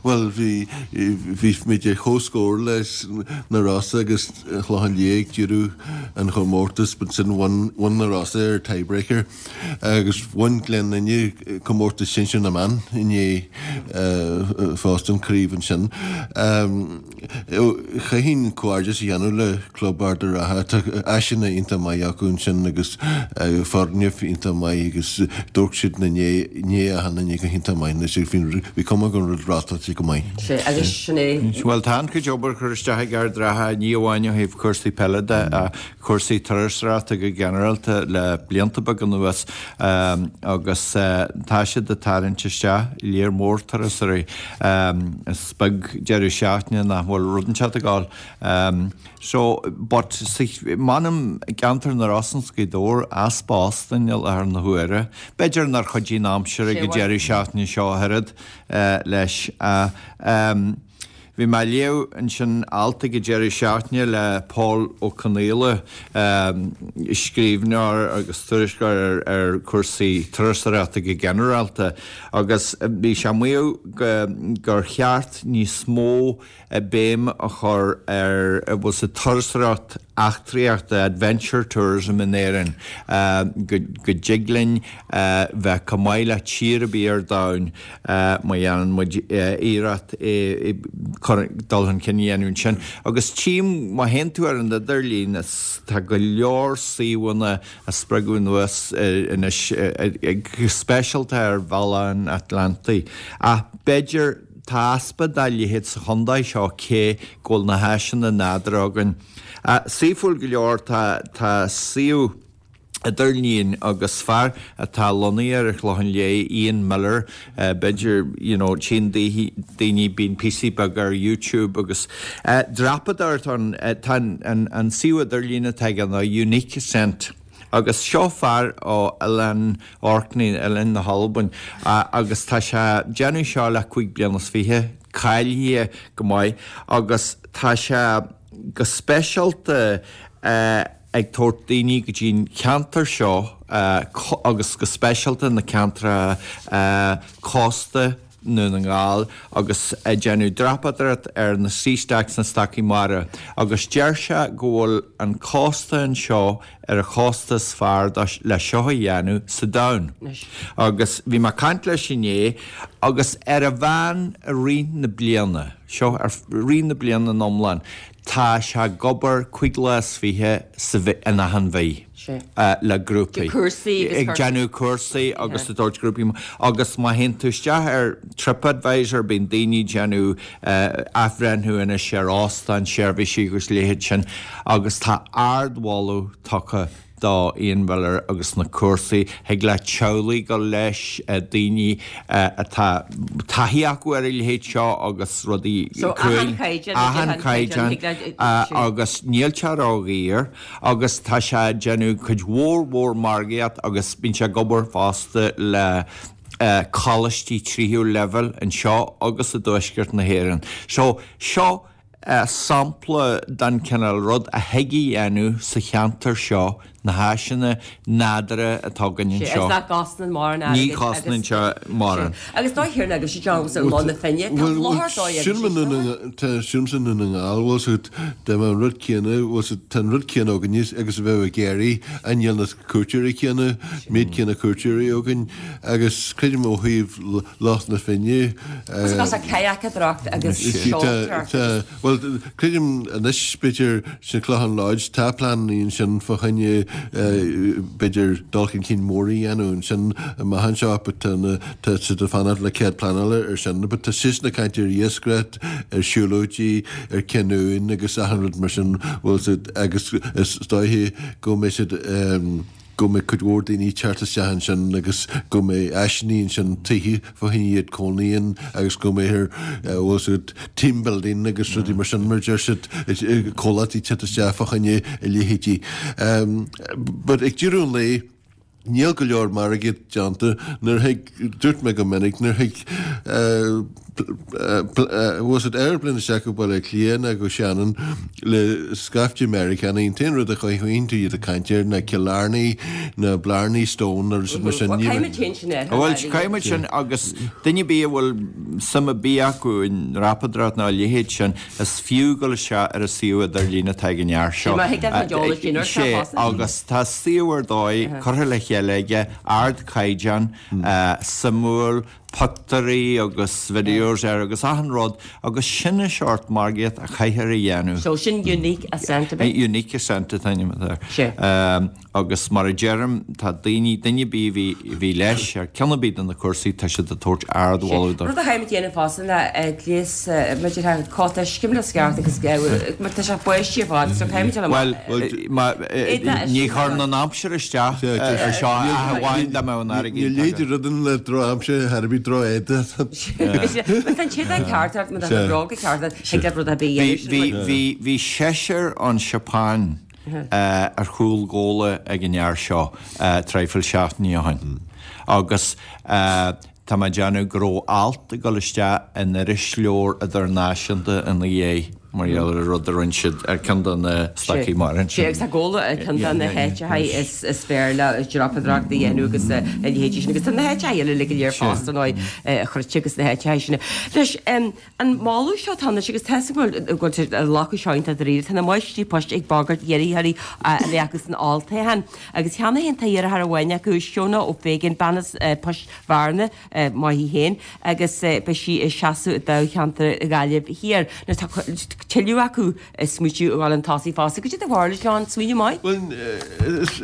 bhuel, bhí, bhí muid ar comhscór leis na Rosa agus an Chlochán Liath ag deireadh an chomórtais, but ansin bhain, bhain na Rosa ar tiebreaker. Agus bhain Gleann Fhinne comórtas sinsir na mban inné fosta, an craobh ansin. Chaithfinn comhghairdeas a dhéanamh le Club Ard an Rátha. Tá áiseanna iontach maith acu ansin agus foirgneamh iontach maith agus d'amharc siad i ndiaidh achan duine go hiontach maith anois. Bhí cuma go raibh rátáilte go maith. Sea, agus sin é. Bhuel, tá an-chuid obair curtha isteach ag Ard an Rátha, ní amháin ó thaobh cúrsaí peile de ach cúrsaí turasóireachta go ginearálta le blianta beaga anuas agus tá siad ag tarraingt isteach léar mór turasóirí. Is beag deireadh seachtaine nach bhfuil rud inteacht ag gabháil. So, but m'anam i gceantar na Rosann 's Gaoth Dobhair, easpa óstáin i láthair na huaire. B'fhéidir nár chuidigh an aimsir ag an deireadh seachtaine seo ach oiread leis. Bhí mé ag léamh ansin alt ag an deireadh seachtaine le Pól Ó Conaola, scríbhneoir agus tuairisceoir ar chúrsaí turasóireachta go ginearálta, agus bhí sé ag maíomh gur cheart níos mó béim a chur ar bhfuil sa turasóireacht eachtraíochta, adventure tourism, in Éirinn, go dtig linn bheith chomh maith le tír ar bith ar domhan. má dhéanann muid iarracht dul chun cinn a dhéanamh ansin. Agus tchím, má théann tú ar an idirlíon, tá go leor suíomhanna á spreagadh anuas anois, go speisialta ar bhealach an Atlantaigh. Ach b'fhéidir, tá easpa dá leithéid sa chontae seo cé go bhfuil na háiseanna nádúrtha againn. Saoithiúil go leor, tá suíomh. idirlín agus fear atá lonnaithe ar an Chlochán Liath, Ian Miller, b'fhéidir, you know, tchíonn daoine, bíonn píosaí beaga ar YouTube agus dreapadóireacht ann, tá an suíomh idirlín atá aige ná Unique Ascent agus seo fear ó Oileán Orkney, Oileáin na hAlbain, agus tá sé ag déanamh seo le cúig bliana is fiche, cáilithe go maith agus tá sé go speisialta ag tabhairt daoine go dtí an ceantar seo agus go speisialta na ceantracha cósta nDún na nGall agus ag déanamh dreapadóireacht ar na sea stacks, na stacaí mara agus deir sé go bhfuil an cósta anseo ar an chósta is fearr le seo a dhéanamh sa domhan. Agus bhí mé ag caint leis inné agus ar a mheán i rith na bliana, seo i rith na bliana in iomlán, Tá sé ag obair 25 lá sa mhí, in achan mhí le grúpaí. Ag déanamh cúrsaí agus ag tabhairt grúpaí. Agus má théann tú isteach ar TripAdvisor bíonn daoine ag déanamh athbhreithniú anois ar óstáin, seirbhísí agus leithéid sin agus tá ardmholadh tugtha. do Ian Miller agus na cúrsaí. Thig le teaghlaigh dul leis, daoine atá taithí acu ar a leithéid seo agus rudaí So, achan chaighdeán, achan chaighdeán agus níl sé ródhaor agus tá sé ag déanamh cuid mhór mhór margaíocht agus bíonn sé ag obair fosta le coláistí tríú leibhéal anseo agus i dtuaisceart na hÉireann. So, seo sampla den chineál rud a thig a dhéanamh sa cheantar seo, na háiseanna nádúrtha atá againn anseo. Sea, agus nach gcosnaíonn mórán airgid. Ní chosnaíonn sé mórán. Agus dóigh thiar agus sé John sa Loch na Finne, tá láthair dóigh agus sé Tá siúmsa i nDún na nGall, bhfuil 's agat, dá mbeadh an rud céanna, bhfuil 's agat, tá an rud céanna againne agus a bheadh i gCiarraí, ach níl na cuairteoirí céanna, méid céanna cuairteoirí againn agus creidim ó thaobh Loch na Finne. Agus tá kayakeadóireacht agus seoltóireacht. Bhuel, creidim anois, b'fhéidir, sa Clochán Lodge, tá pleananna ansin fá choinne, b'fhéidir, dul chun cinn mór a dhéanamh ansin amach anseo, but tá na, tá siad ag fanacht le cead pleanála ar sin, but tá siadsan ag caint ar iascaireacht, ar siúlóidí, ar canoeing agus achan rud mar sin, bhfuil siad, agus is dóiche go mbeidh siad, go mbeidh cuid mhór daoine ag teacht isteach ansin agus go mbeidh áiseanna ansin, tithe fá choinne iad cónaí ann agus go mbeidh ar, bhfuil 's agat, team building agus rudaí mar sin mar a deir siad, comhlachtaí teacht isteach fá choinne a leithéidí. But ag deireadh an lae, níl go leor margaíocht déanta nuair a thig, dúirt mé go minic, nuair a thig, bhfuil 's agat aeroplane isteach go Baile Átha Cliath ná go Shannon le scaifte Meiriceánaigh, an t-aon rud a chothaíonn tú iad ag caint air ná Killarney ná Blarney Stone nó rud mar sin. Bhuel, caithfidh muid féin sin air. Bhuel, caithfidh muid sin agus duine ar bith a bhfuil suim ar bith acu i ndreapadóireacht ná a leithéid sin, is fiú dul isteach ar an suíomh idirlín atá ag an fhear seo. Sé má thig leat an t-eolas sin ar Sé, agus tá suíomh ar dóigh curtha le chéile aige, ardchaighdeán, suimiúil, pictiúirí agus videos air agus achan rud agus sin an seort margaíocht a chaithfear a dhéanamh. So sin Unique Ascent, ab é? Unique Ascent an t-ainm atá air. Agus mar a deirim, tá daoine, duine ar bith a bhí, a bhí leis ar ceann ar bith de na cúrsaí, tá siad ag tabhairt ardmholadh dó. Rud a chaithfidh muid a dhéanamh fosta ná gléas, maidir le cóta scimle sceart agus mar tá sé báistí ar fad so caithfidh muid dul amach. Bhuel, ní chuireann an aimsir isteach ar seo ach amháin dá mbeadh an airgead Ní léidir rud an le drochaimsir thar a bith droch-éadaí. Má tá an t-éadach ceart ort, má tá na bróga ceart ort, thig leat rud ar bith a dhéanamh. Bhí seisear ón Seapáin ar chúl gabhála ag an fhear seo traidhfil seachtainí ó shin agus Tá mé ag déanamh go raibh alt ag dul isteach in irisleabhar idirnáisiúnta ina dhiaidh mar gheall ar an rud a rinne siad ar ceann de na stocaí mara ansin. Sea, agus tá Gabhla ar ceann de na háiteacha is fearr le dreapadóireacht a dhéanamh agus a leithéidí sin. Agus tá na háiteacha eile uilig go léir fosta, ar ndóigh, a Chruite agus na háiteacha sin. Anois, an moladh seo atá anois agus tá a fhios agam go bhfuil sé glacadh seo iontach dáiríre, tá na máistrí poist ag bagairt iarrthóirí a bheith acu san olltoghchán. Agus cheana féin tá iarrthóir amháin acu, Shona O'Fagan, bean as Poist Bhearna, maith í féin, agus beidh sí ag seasamh i dtoghcheantar Ghaillimh Thiar. Anois tá tuilleadh acu ag smaoitiú a dhul chun tosaigh fosta. Cad é do bharúil, John? Smaoineamh maith? Bhuel,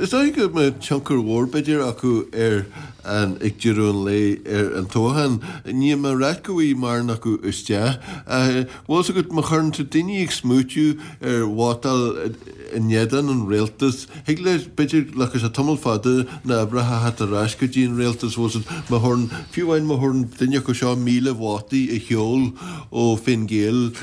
is dóigh go mbeidh tionchar mhór b'fhéidir acu ar an, ag deireadh an lae, ar an toghchán. Níl mé ag ráit go bhfaighidh mórán acu isteach. Bhfuil 's agat, má chuireann tú daoine ag smaoitiú ar vótáil in éadan an rialtas, Thig le, b'fhéidir, glacfaidh sé tamall fada na hoibreacha a theacht ar ais go dtí an rialtas, bhfuil 's agat, má thabharann, fiú amháin má thabharann duine acu seo 1,000 vótaí a sheol ó Fine Gael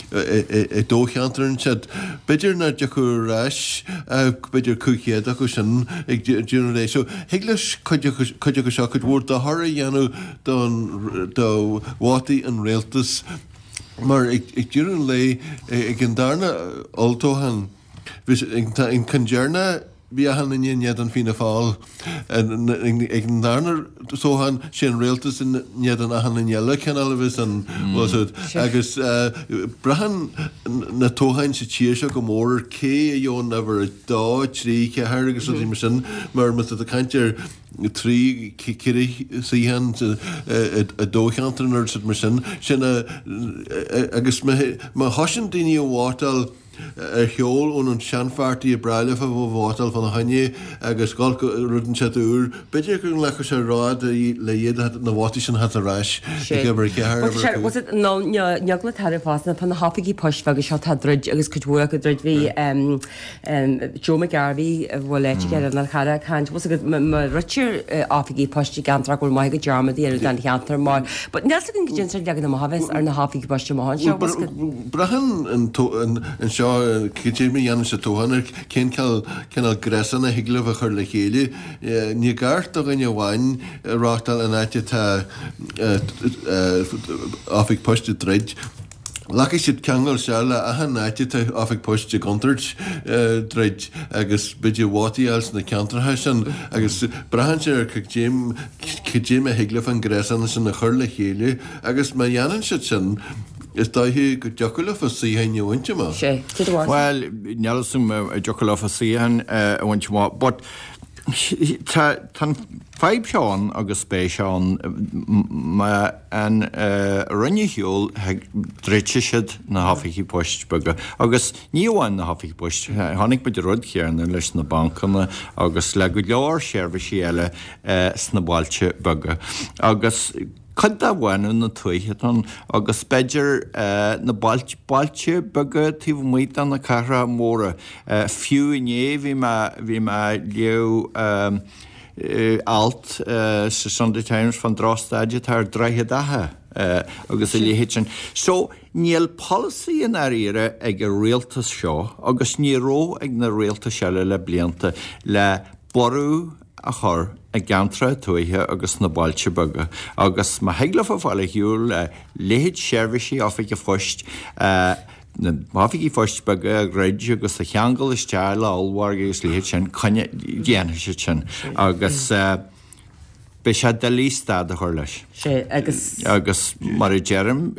i dtoghcheantar ansiúd, b'fhéidir nach dtiocfadh ar ais ach b'fhéidir 500 acu sin ag deireadh an lae. So, thig leis cuid acu, cuid acu seo cuid mhór dochair a dhéanamh don, do vótaí an rialtais mar ag deireadh an lae, ag an darna olltoghchán, Bhí an ceann deireanach, bhí achan duine in éadan Fianna Fáil. Ag an darna toghchán, sé an rialtas in éadan achan duine eile, cineál a bheas an, bhfuil 's agat. Agus braitheann na toghcháin sa tír seo go mór ar cé a gheobhann uimhir a dó, trí, ceathair agus rudaí mar sin, mar má tá tú ag caint ar trí, ceithre suíochán i dtoghcheantar nó rud mar sin, sin a, agus má thosaíonn daoine a vótáil. ar shiúl ón an seanpháirtí a breá leofa vótáil fána choinne agus dhul go rud inteacht úr. B'fhéidir go nglacfadh sé rud le iad na vótaí sin a theacht ar ais ag uimhir a 4, uimhir a 5. Nó eagla atá orm fosta fá na hoifigí poist bheaga seo atá ag druid agus cuid mhór acu ag druid. Bhí Joe McGarvey a bhfuil aithne aige ar an Chara ag caint, bhfuil 's agat má dhruidtear oifigí poist i gceantar go bhfuil maith go dearmad a dhéanamh den cheantar mar but níl 's againn goidé an sórt leagan amach a bheas ar na hoifigí poist amach anseo, bhfuil 's agat. Braitheann anseo cad é mar a dhéanann siad toghchán ar cén cineál gréasán a thig leo a chur le chéile. Ní ceart do dhuine amháin reáchtáil in áit atá oifig poist ag druid. Glacfaidh siad ceangal isteach le achan áit atá oifig poist i gcontúirt druid agus b'fhéidir vótaí a fháil sna ceantracha sin agus braitheann sé ar cad é mar a thig leo an gréasán sin a chur le chéile agus má dhéanann siad sin is dóiche go dtiocfadh leofa suíocháin a bhaint amach. Sé. Cad a Bhuel, níl 'fhios a'm an dtiocfadh leofa suíocháin a bhaint amach but tá an fadhb seo ann agus beidh sé ann má an Roinn ar shiúl druidfidh siad na hoifigí poist beaga agus ní amháin na hoifigí poist, chonaic muid an rud céanna leis na bancanna agus le go leor seirbhísí eile sna bailte beaga agus cuid de bhánú na tuaithe atá ann agus b'fhéidir na bailte bailte beaga taobh amuigh de na cathracha móra. Fiú inné bhí mé bhí mé ag léamh alt sa Sunday Times fán drochstaid atá ar Droichead Átha agus a leithéid sin. So, níl polasaí i ndáiríre ag an rialtas seo agus ní raibh ag na rialtais eile le blianta le borradh a chur i gceantracha tuaithe agus sna bailte beaga agus má thig leofa fáil ar shiúl le leithéid seirbhísí oifige phoist, na hoifigí phoist beaga a dhruid agus a cheangal isteach le ollmhargaí agus leithéid sin, coinne, déanfaidh siad sin agus beidh sé doiligh stad a chur leis. Sé, agus. Agus mar a deirim,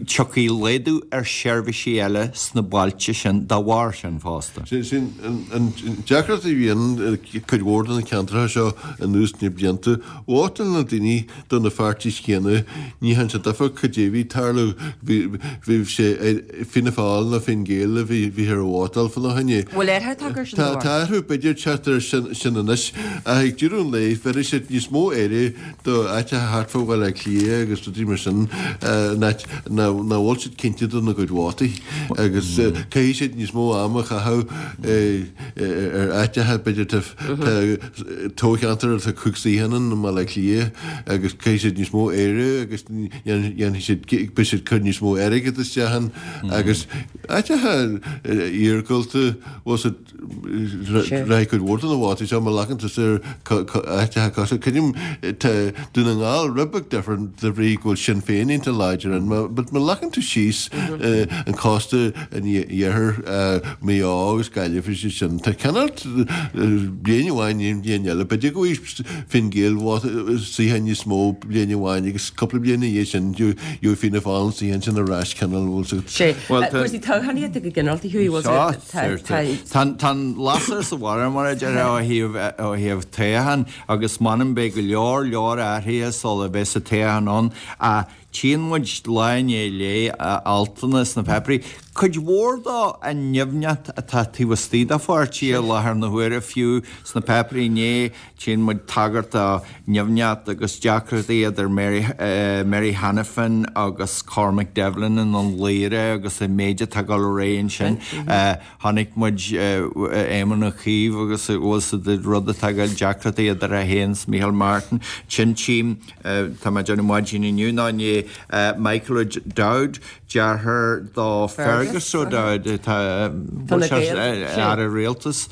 tiocfaidh laghdú ar sheirbhísí eile sna bailte sin dá bharr sin fosta. Sin an deacracht a bhíonn i cuid mhór de na ceantracha seo anuas na blianta. Vótáil na daoine do na pháirtís chéanna, ní dhearna sé difear cad é bhí ag tarlú, bhí sé Fianna Fáil nó Fine Gael a bhí bhíthear a vótáil fána choinne. Bhfuil athrú tagtha air sin de bharr? Tá athrú b'fhéidir teacht air sin anois ach ag deireadh an lae bhéarfaidh siad níos mó aire do áiteacha thart fá Bhaile Átha Cliath agus rudaí mar sin in áit nach bhfuil siad cinnte dona gcuid vótaí agus caithfidh siad níos mó ama a chaitheamh ar áiteacha b'fhéidir tá toghcheantar atá 5 suíochán ann i mBaile Átha Cliath agus caithfidh siad níos mó aire agus dhéanfaidh siad, beidh siad ag cur níos mó airgead isteach ann agus áiteacha iargúlta, bhfuil siad, rachaidh cuid mhór de na vótaí seo má ghlacann tusa ar áiteacha cosúil, creidim, tá Dún na nGall rud beag difriúil de bhrí go bhfuil Sinn Féin iontach láidir ann, but má ghlacann tú síos an cósta an iarthair, Maigh Eo agus Gaillimh is iad sin, tá cineál bliain amháin i ndiaidh bliain eile, b'fhéidir go bhfaighidh Fine Gael suíochán níos mó bliain amháin agus cúpla bliain ina dhiaidh sin gheobhaidh Fianna Fáil an suíochán sin ar ais cineál bhfuil 's agat. Sé, cúrsaí toghchánaíochta go ginearálta Hughie, bhfuil 's agat, tá, tá an lasair sa bharra mar a déarfá ó thaobh, ó thaobh toghchán agus m'anam beidh go leor leor athruithe sula bheas an toghchán ann ach Tchíonn muid lá i ndiaidh lae altanna sna páipéirí, cuid mhór dó an nimhneacht atá taobh istigh de pháirtí i láthair na huaire, fiú sna páipéirí inné tchíonn muid tagairt do nimhneacht agus deacrachtaí idir Mary, Mary Hanafin agus Cormac Devlin i nDún Laoghaire agus an méid atá ag dul ar aghaidh ansin. Chonaic muid Éamon Ó Cuív agus a bhfuil sa rud atá ag dul deacrachtaí idir é féin is Micheál Martin. Sin tchím. Tá mé ag déanamh maidin inniu nó inné Michael O'Dowd, deartháir do Fergus O'Dowd, atá Aire Rialtais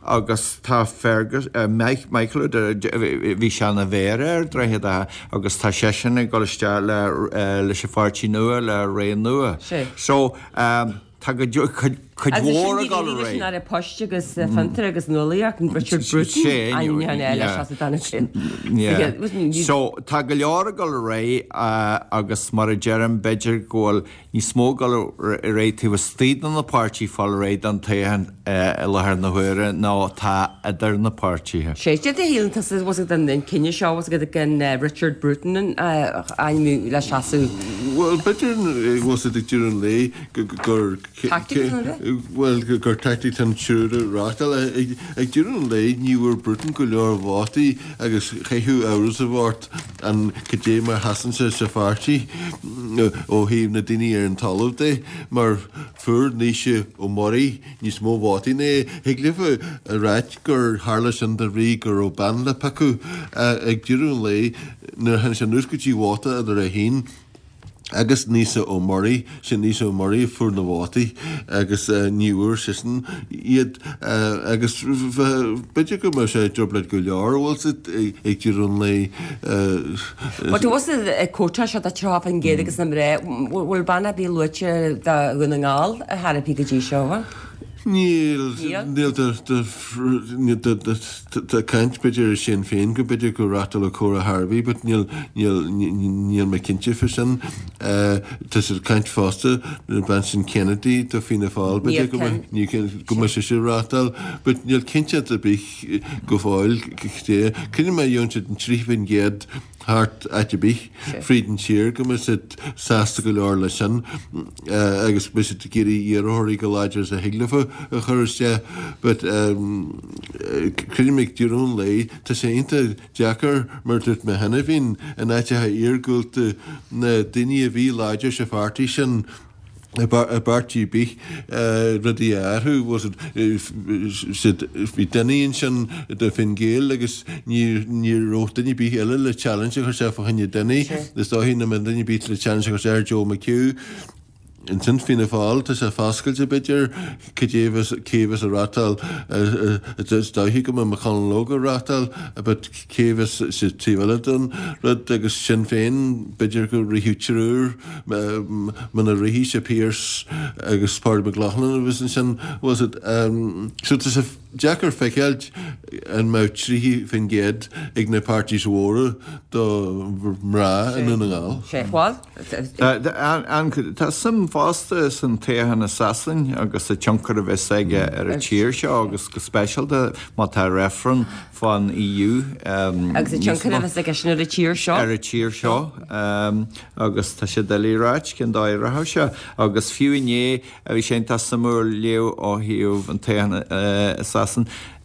agus tá Fergus, Michael O'Dowd, bhí sé ina mhéara ar Droichead Átha agus tá seisean ag dul isteach leis an pháirtí nua, le Ré Nua. So, tá go. Cuid mhór ag dul ar aghaidh. Leis an Aire Poist agus Fiontar agus Nuálaíocht, Richard Bruton, ainmniúchán eile seasamh don sin. So, tá go leor ag dul ar aghaidh agus mar a deirim, b'fhéidir go bhfuil níos mó ag dul ar aghaidh taobh istigh de na páirtithe fáil réidh don toghchán i láthair na huaire ná atá idir na páirtithe. Sé, cad é a shíleann tusa, bhfuil a fhios agat an cinneadh seo, bhfuil a fhios agat gan Richard Bruton a ainmniú le seasamh? Bhuel, b'fhéidir, bhfuil a fhios agat ag deireadh an lae gur Tactic an é? Bhuel, gur tactic an triúr a reáchtáil. Ag deireadh an lae, ní bhfuair Bruton go leor vótaí agus chaithfeadh amhras a bheith ort an cad é mar sheasann sé sa pháirtí ó thaobh na daoine ar an talamh de, mar fuair Naoise Ó Muirí níos mó vótaí ná é. Thig libh a ráit gur tharla sin de bhrí go raibh bean le piocadh. Ag deireadh an lae, nuair a tháinig sé anuas go dtí vóta idir é féin agus Naoise Ó Muirí, sé Naoise Ó Muirí a fuair na vótaí agus ní bhfuair seisean iad agus b'fhéidir go mbeadh sé i dtrioblóid go leor, bhfuil a fhios agat, ag deireadh an lae. Bhuel, tá a fhios agat cuóta seo de 30% agus na mná, bhfuil bean ar bith luaite do Dhún na nGall ar chor ar bith go dtí seo, bhfuil? Níl, níl tá caint b'fhéidir ar Sinn Féin go b'fhéidir go reáchtálfadh Cora Harvey but níl, níl, níl mé cinnte fá sin. Tá siad ag caint fosta an bean sin Kennedy do Fianna Fáil b'fhéidir go mbeadh, go mbeadh sise ag reáchtáil but níl cinnteacht ar bith go fóill cad é. Creidim má gheobhann siad an 30% thart áit ar bith fríd an tír go mbeidh siad sásta go leor leis sin agus beidh siad ag iarraidh iarrthóirí chomh láidir is a thig leofa a chur isteach but creidim ag deireadh an lae tá sé iontach deacair mar a dúirt mé cheana féin in áiteacha iargúlta na daoine a bhí láidir sa pháirtí sin i bpáirtí ar bith rudaí a athrú. Bhí Dinny ansin do Fine Gael agus ní raibh duine ar bith eile le challenge a chur isteach fá choinne Dinny. Is dóichí nach mbeidh duine ar bith le challenge a chur isteach ar Joe McHugh. Ansin Fianna Fáil, tá sé foscailte b'fhéidir cad é cé a bheas ag reáchtáil. Is dóichí go mbeidh McConalogue ag reáchtáil but cé a bheas sa taobh eile den rud agus Sinn Féin b'fhéidir go rithfeadh triúr. Muna rithfidh sé Pearse agus Pádraig McLaughlin a bheas ansin, was it? So tá sé deacair feiceáilt an mbeadh 30% ag na parties mhóra do mhná i nDún na nGall. Sé, bhuel. Tá suim fosta san toghchán i Sasain agus an tionchar a bheas aige ar an tír seo agus go speisialta má tá reifreann fán EU. Agus an tionchar a bheas aige sin ar an tír seo. Ar an tír seo. Agus tá sé doiligh a ráit cén dóigh a rachaidh sé. Agus fiú inné, bhí sé iontach suimiúil léamh ó thaobh an toghcháin i Sasain.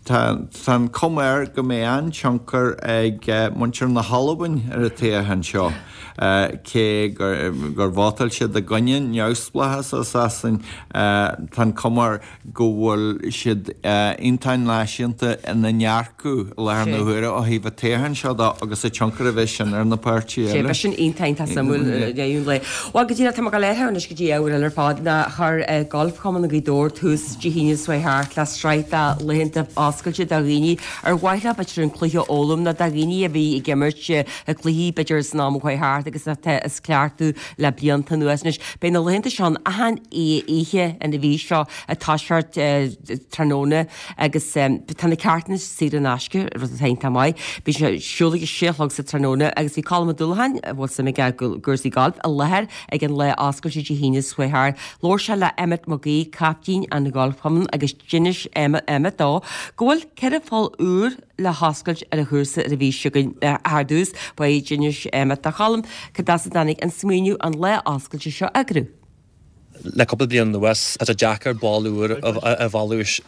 Tá an chuma air go mbeidh an-tionchar ag muintir na hAlbain ar an toghchán seo. Cé gur vótáil siad i gcoinne neamhspleáchas ó Sasain, tá an chuma air go bhfuil siad iontach náisiúnta ina ndearcadh i láthair na huaire ó thaobh an toghcháin seo de agus an tionchar a bheidh sin ar na páirtithe eile. Beidh sin iontach iontach suimiúil i ndiaidh an lae. Bhuel, go díreach, tá mé ag dul ar anois go dtí ábhar eile ar fad ná chuir Golf Chumann Ghaoth Dobhair tús Dé hAoine seo thart le sraith de laethanta oscailte do dhaoine ar mhaith leo b'fhéidir an cluiche a fhoghlaim nó do dhaoine a bhí ag imirt cluichí b'fhéidir san am a chuaigh thart agus atá ag cleachtadh le blianta anuas anois. Beidh na laethanta seo ann achan oíche an mhí seo ag toiseacht tráthnóna agus tá na ceártanna saor in aisce, rud atá iontach maith. Beidh sé ar siúl ag a sé a chlog sa tráthnóna agus bhí Colm Ó Dúlacháin, a bhfuil suim aige i gcúrsaí gailf, i láthair ag an lá oscailte Dé hAoine seo chuaigh thart. Labhair sé le Emmet Mac Aoidh, caiptín an Gholfchumainn agus d'inis Emmet dó go bhfuil ceithre pholl úr le hoscailt ar an chúrsa ar an mhí seo chugainn. Ar dtús, ba é d'inis Emmet do Cholm cad as a dtáinig an smaoineamh an lá oscailte seo a eagrú. Le cúpla bliain anuas, tá sé deacair ball úr a mhealladh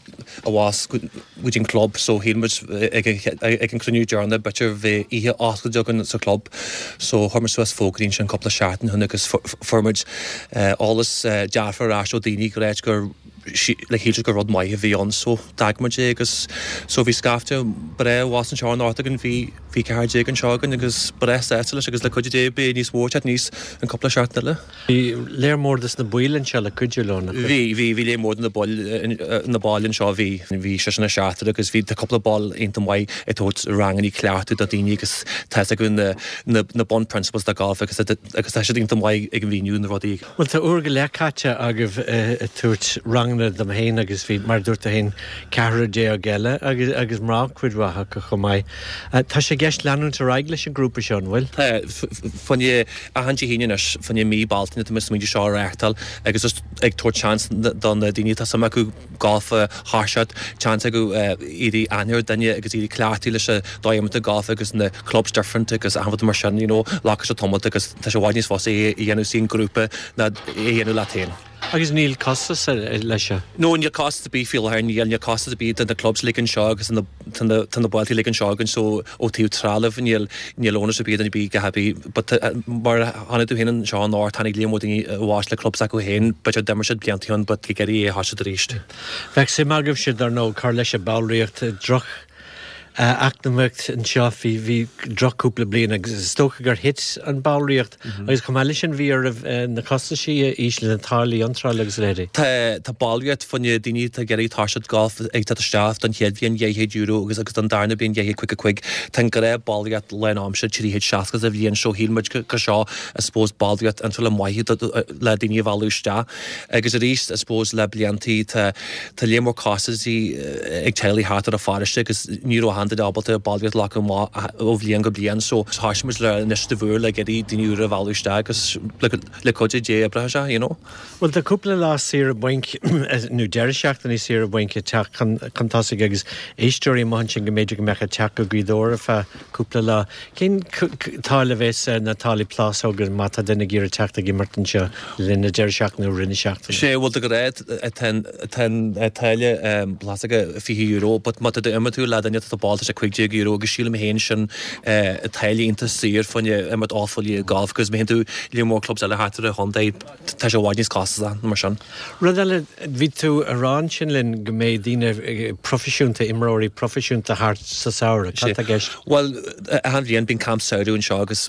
abhus go dtí an club so shíl muid ag an cruinniú deireanach b'fhéidir bheadh oíche oscailte againn sa chlub so chuir muid suas fógraí ansin cúpla seachtain ó shin agus fuair muid eolas dearfach ar ais ó daoine ag ráit gur like shíl siad gur rud maith a bhí ann so d'eagraigh muid é agus so bhí scaifte breá abhus anseo anocht againn bhí bhí 14 anseo againn agus breá sásta leis agus le cuidiú Dé beidh níos mó ag teacht aníos an cúpla seachtain eile. Bhí léar mór des na baill anseo le cuidiú leo, nach raibh? Bhí, bhí, bhí léar mór de na baill, na baill anseo, bhí, bhí seisear nó seachtar agus bhí, tá cúpla ball iontach maith ag tabhairt rangannaí cleachtadh do daoine agus tá fhios acu na, na, na bun principles de golf agus agus tá siad iontach maith ag míniú na rudaí. Bhuel, tá uair go leith caite agaibh ag tabhairt ranganna. ranganna dom féin agus bhí, mar a dúirt tú féin, ceathrar déag eile agus agus mná cuid mhaith acu chomh maith. Tá sé i gceist leanúint ar aghaidh leis an ngrúpa seo, an bhfuil? Tá. Fá choinne achan Dé hAoine anois, fá choinne mí Bealtaine tá muid ag smaointiú seo a reáchtáil agus just ag tabhairt seans do na daoine atá suim acu galf a thoiseacht, seans acu éirí aithne ar duine agus éirí cleachtadh leis an dóigh imeartha galf agus na clubs different agus achan rud mar sin, you know, glacfaidh sé tamalt agus tá sé i bhfad níos fusa é a dhéanamh sa ngrúpa ná é a dhéanamh leat féin. Agus níl costas leis seo? No, níl costas ar bith faoi láthair, níl, níl costas ar bith do na clubs uilig anseo agus tá na, tá na bailte uilig anseo againn so ó taobh trealamh níl, níl onus ar bith ar duine ar bith a dhath ar bith but mar a chonaic tú féin anseo anocht tháinig líon mór daoine abhus le clubs acu féin b'fhéidir d'imir siad blianta ó shin but ag iarraidh é a thoiseacht arís. Bheadh suim agaibhse dar ndóigh cur leis an ballraíocht droch eacnamaíocht anseo, bhí, bhí droch cúpla bliain agus is dócha gur thit an ballraíocht agus chomh maith leis sin bhí oraibh na costaisí a ísliú, na táillí iontrála agus a leithéidí. Tá, tá ballraíocht fá choinne daoine atá ag iarraidh toiseacht golf ag teacht isteach don chéad bhliain €200 agus agus don darna bliain 255. Tá an gnáth ballraíocht lán-aimsire 360 sa bhliain so shíl muid go seo I suppose ballraíocht iontrála maith le daoine a mhealladh isteach. Agus arís, I suppose, le bliantaí, tá tá líon mór costaisí ag teaghlaigh thart ar an pharóiste agus ní raibh achan duine ábalta ballraíocht a ghlacadh amach ó bhliain go bliain so thoisigh muid le initiative úr le iarraidh daoine úra a mhealladh isteach agus le cuidiú Dé oibreoidh sé, you know. Bhuel tá cúpla lá saoire bainc nó deireadh seachtainí saoire bainc ag teacht chun tosaigh agus éisteoirí amuigh ansin go mb'fhéidir go mbeadh ag teacht go Gaoth Dobhair ar feadh cúpla lá. Cén táille a bheas ar na táillí plásóga má tá duine ag iarraidh teacht ag imirt anseo le linn na deireadh seachtaine nó rith na seachtaine? Sé bhuel de ghnáth tá an táille plásóga €20 but má tá tú imirt le duine atá ball tá sé €15 agus sílim féin sin táille iontach saor fá choinne imirt ocht bpoll déag golf agus má théann tú líon mór clubs eile thart ar an chontae tá sé i bhfad níos costasaí mar sin. Rud eile, bhí tú a rá ansin linn go mbeidh daoine proifisiúnta, imreoirí proifisiúnta thart sa samhradh. Cad tá i gceist? Bhuel, achan bhliain bíonn camp samhraidh anseo agus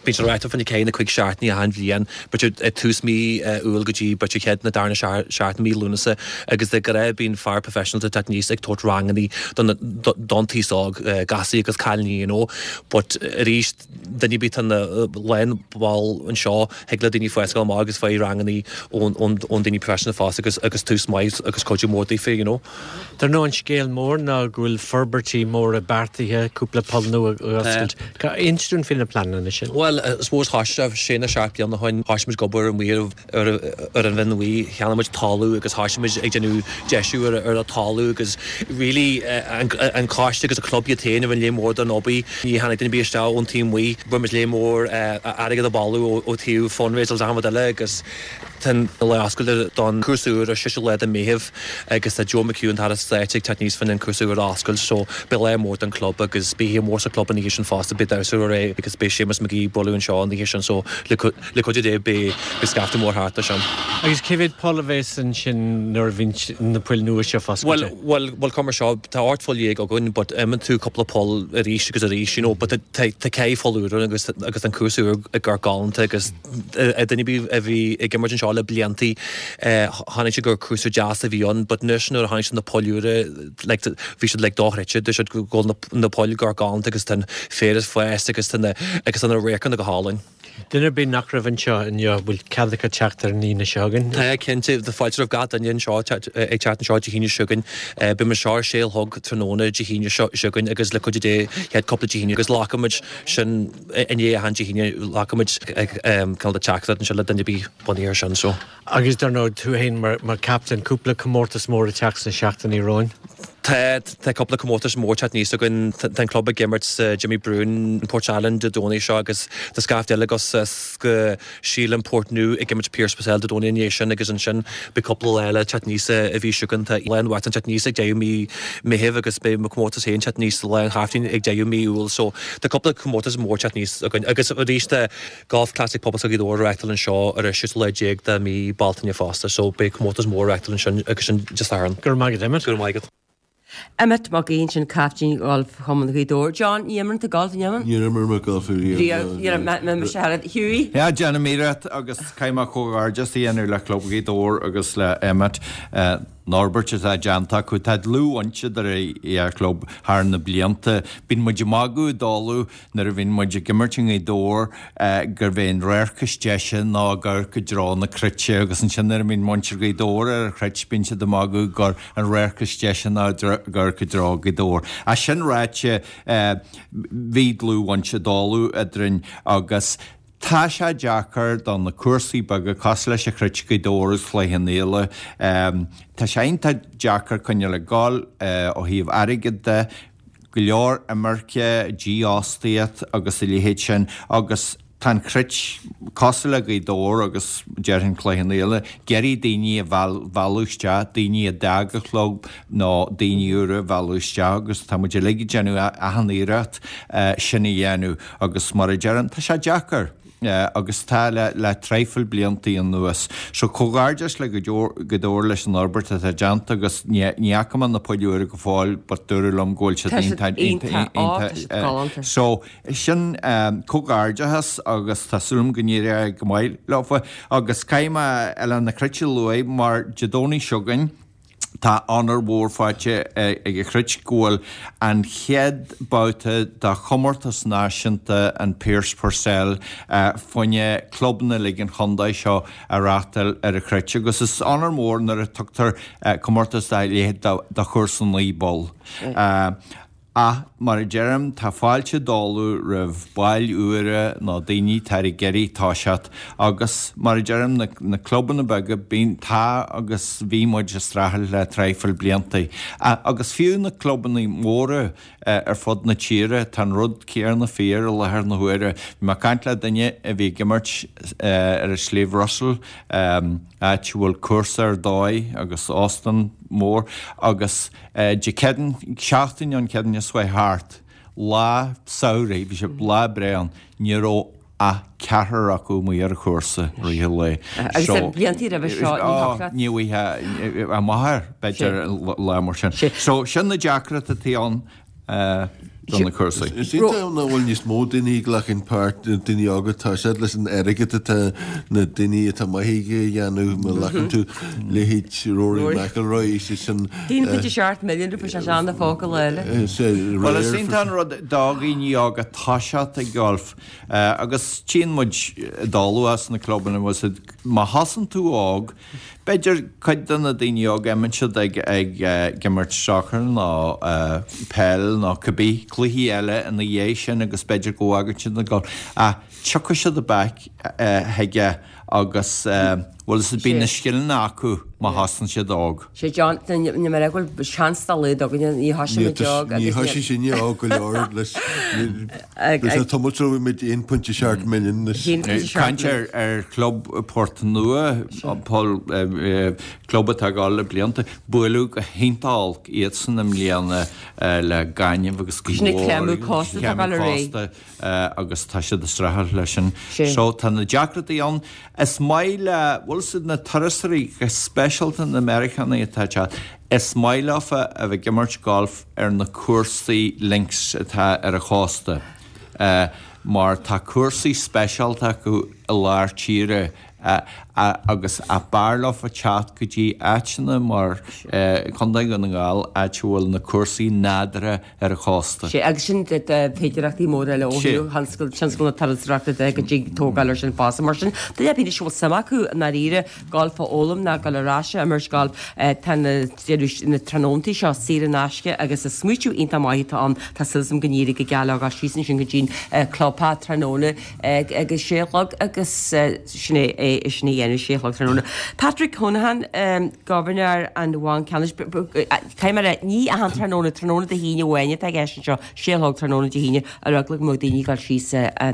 bíonn sé reáchtáil fá choinne ceithre nó cuig seachtainí achan bhliain, b'fhéidir ag tús mí Iúil go dtí b'fhéidir chéad nó darna seachtain mí Lúnasa agus de ghnáth bíonn fear professional ag teacht aníos ag tabhairt rangannaí don taos óg, gasúir agus cailíní you know. But arís, duine ar bith atá ina lán-bhall anseo, thig le daoine fáil amach agus faigh rangannaí ón daoine professional fosta agus agus tús maith agus cuidiú mór daofa, you know. Dar ndóigh an scéal mór ná go bhfuil forbairtí móra beartaithe, cúpla poll nua a oscailt. Inis dúinn faoi na pleananna sin. Bhuel, I suppose thoisigh sé nó seacht bliana ó shin, thoisigh muid ag obair amuigh ar ar an Bhinn Bhuí, cheannaigh muid talamh agus thoisigh muid ag déanamh deisiú ar ar an talamh agus really an coiste agus an club iad féin a rinne léim mhór den obair. Ní tháinig duine ar bith isteach ón taobh amuigh. Rinne muid léim mhór airgead a bhailiú ó taobh fundraisers achan rud eile agus tá an lá oscailte don cúrsa úr ar 6ú lá de Meitheamh agus tá Joe McHugh an tAire Stáit ag teacht aníos fá choinne an cúrsa úr a oscailt so beidh lá mór don club agus beidh oíche mhór sa club an oíche sin fosta beidh damhsa ar aghaidh agus beidh Séamus McGee ag bualadh anseo an oíche sin so le Le cuidiú Dé beidh scaifte mór thart air sin. Agus cé mhéad poll a bheas ansin nuair a bhíonn na poill nua seo foscailte? Bhuel, bhuel, bhuel, mar seo, tá 18 pholl againn but imíonn tú cúpla poll arís agus arís, you know, but tá tá ceithre pholl úr ann agus agus an cúrsa úr ag amharc galánta agus duine ar bith a bhí ag imirt anseo le bliantaí chonaic siad gur cúrsa deas a bhí ann but anois nuair a chonaic siad na poill úra like bhí siad like dochreidte, dúirt siad go bhfuil na na poill ag amharc galánta agus tá an féar ag fás agus tá na agus tá na radharcanna go hálainn. Duine ar bith nach raibh anseo inniu, bhfuil cead acu teacht ar an Aoine seo chugainn? Tá, cinnte. Tá fáilte roimh gach duine anseo ag teacht anseo Dé hAoine seo chugainn. Beidh muid anseo ar sé a chlog tráthnóna Dé hAoine seo chugainn agus le cuidiú Dé chéad cúpla Dé Haoine agus glacfaimid sin i ndiaidh achan Dé hAoine glacfaimid cineál de teachtaireacht anseo le duine ar bith bunaithe ar sin so. Agus dar ndóigh, tú féin mar captaen, cúpla comórtas mór ag teacht sna seachtainí romhainn. Tá, tá cúpla comórtas mór teacht aníos againn. Tá an club ag imirt sa Jimmy Bruen in Port Allen Dé Domhnaigh seo agus tá scaifte eile acu go sílim Portnoo ag imirt Pearse Purcell Dé Domhnaigh i ndiaidh sin agus ansin beidh cúpla lá eile teacht aníos sa mhí seo chugainn. Tá Lá an Uachtaráin teacht aníos ag deireadh mí Meithimh agus beidh mo comórtas féin teacht aníos Lá an Chaiftín ag deireadh mí Iúil so tá cúpla comórtas mór teacht aníos againn agus arís tá Golf Classic Pobalscoil Ghaoth Dobhair á reáchtáil anseo ar an 16 lá de mhí Bealtaine fosta so beidh comórtas mór á reáchtáil ansin agus sin Dé Sathairn. Go raibh maith agat Emmet. Go raibh maith agat. Emmet Mac Aoidh ansin caiftín Gholf Chumann Ghaoth Dobhair. John, ní imríonn tú golf, an imríonn? Níor imir mé golf ariamh. Riamh, ní raibh mé mise thar Hughie? Yeah, déanaim iarracht agus caithfidh mé comhghairdeas a dhéanamh le Club Ghaoth Dobhair agus le Emmet. an fhorbairt atá déanta acu. Tá dlúthbhaint idir an dá chlub thar na blianta. Bíonn muid ag magadh i dtólamh nuair a bhíonn muid ag imirt i nGaoth Dobhair gurb é an radharc is deise ná ag amharc i dtreo na Cruite agus ansin nuair a bhíonn muintir Ghaoth Dobhair ar an Chruit bíonn siad ag magadh gur an radharc is deise ná ag amharc i dtreo Ghaoth Dobhair. Ach sin ráite bhí dlúthbhaint i dtólamh eadrainn agus Tá sé deacair do na cúrsaí beaga cosúil leis an Chruit, Gaoth Dobhair agus Cloich Cheann Fhaola. Tá sé iontach deacair coinneáil ag gabháil ó thaobh airgid de, go leor imirce, dífhostaíocht agus a leithéid sin agus tá an Chruit cosúil le Gaoth Dobhair agus déarfainn Cloich Cheann Fhaola, ag iarraidh daoine a mhealladh isteach, daoine a d'fhág an chlub nó daoine úra a mhealladh isteach agus tá muid uilig ag déanamh achan iarracht sin a dhéanamh. Agus mar a deirim, tá sé deacair agus tá le le traidhfil bliantaí anuas. So comhghairdeas le Gaoth Dobhair leis an fhorbairt atá déanta agus ní ní fhaca mé na poill úra go fóill but dúradh liom go bhfuil siad iontach iontach iontach so sin comhghairdeachas agus tá súil agam go n-éireoidh go maith leofa agus caithfidh mé Oileán na Cruite a lua mar Dé Domhnaigh seo chugainn Tá onóir mhór faighte ag an Chruit go bhfuil an chéad babhta de chomórtas náisiúnta an Pierce Purcell fá choinne clubanna uilig an chontae seo á reáchtáil ar an Chruit agus is onóir mhór nuair a tugtar comórtas dá leithéid do chúrsa 9 bpoll. Ach, mar a deirim, tá fáilte i dtólamh roimh baill úra nó daoine atá ag iarraidh toiseacht agus, mar a deirim, na clubanna beaga, bíonn, tá agus bhí muid ag streachailt le traidhfil blianta. Agus fiú na clubanna móra ar fud na tíre, tá an rud céanna fíor i láthair na huaire. Bhí mé ag caint le duine a bhí ag imirt ar an Sliabh Russell, áit a bhfuil cúrsa ar dóigh agus óstán mór agus, Dé Céadaoin, seachtain ón Chéadaoin seo chuaigh thart, lá samhraidh, bhí sé lá breá ann, ní raibh ach ceathrar acu amuigh ar an chúrsa i rith an lae. Agus na blianta roimhe seo, ní thiocfadh leat. Ní bhfaighfeá amach air, b'fhéidir, lá mar sin. So, sin na deacrachtaí atá ann. do na cúrsaí. Is iontach nach bhfuil níos mó daoine ag glacann páirt, daoine óga, tá siad leis an airgead atá na daoine atá maith aige a dhéanamh, má ghlacann tú leithéid Rory McIlroy, sé sin. 1.7 milliún rupee sé sean na focail eile. Bhuel is iontach an rud do dhaoine óga toiseacht ag golf agus tchíonn muid i dtólamh as na clubanna, má thosaíonn tú óg, B'fhéidir cuid de na daoine óga, imíonn siad ag ag imirt sacair nó peil nó cibé cluichí eile ina dhiaidh sin agus b'fhéidir go bhfágann siad an golf. Ach tiocfaidh siad back chuige agus bhuel is bíonn na scileanna acu má thosaíonn siad óg. Sé John, ní mar go bhfuil seans dá laghad againne, ní thosaigh muid óg agus ní thosaigh sinne óg go leor leis Leis an tamall seo bhí muid 1.7 milliún leis. Caint ar chlub Port Nua, Paul, club atá ag dul le blianta, buaileadh go hiontach olc iadsan i mbliana le gaineamh agus go leor. Sin an creimeadh cósta atá ag dul ar aghaidh. Agus tá siad ag streachailt leis sin. So tá na deacrachtaí ann. Is maith le, bhfuil 's a'd na turasóirí, go speisialta na Meiriceánaigh atá ag teacht, is maith leofa a bheith ag imirt golf ar na cúrsaí links atá ar an chósta mar tá cúrsaí speisialta acu i lár tíre agus b'fhearr leofa teacht go dtí áiteanna mar Contae Dhún na nGall áit a bhfuil na cúrsaí nádúrtha ar an chósta. Sea, agus sin féidearthachtaí móra eile ó thaobh thionscal na turasóireachta de go dtig tógáil ar sin fosta. Mar sin, duine ar bith anois a bhfuil suim acu i ndáiríre galf a fhoghlaim ná dul ar ais a imirt galf, tá na na tráthnóntaí seo saor in aisce agus is smaoitiú iontach maith atá ann. Tá súil agam go n-éireoidh go geal leo dul síos ansin go dtí'n clubtheach tráthnóna ag a sé a chlog agus sin é sin a dhéanamh sé a chlog tráthnóna. Patrick Honohan, Gobharnóir an Bhainc Ceannais, caithfidh mé a rá, ní achan tráthnóna, tráthnóna Dé hAoine amháin atá i gceist anseo, sé a chlog tráthnóna Dé hAoine, ar eagla go mbeadh daoine ag dul síos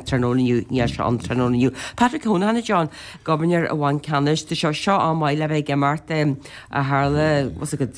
tráthnóna inniu, níl sé ann tráthnóna inniu. Patrick Honohan, a John, Gobharnóir an Bhainc Ceannais, tá seo seo am maith le bheith ag imeacht a tharla, bhfuil 's agat,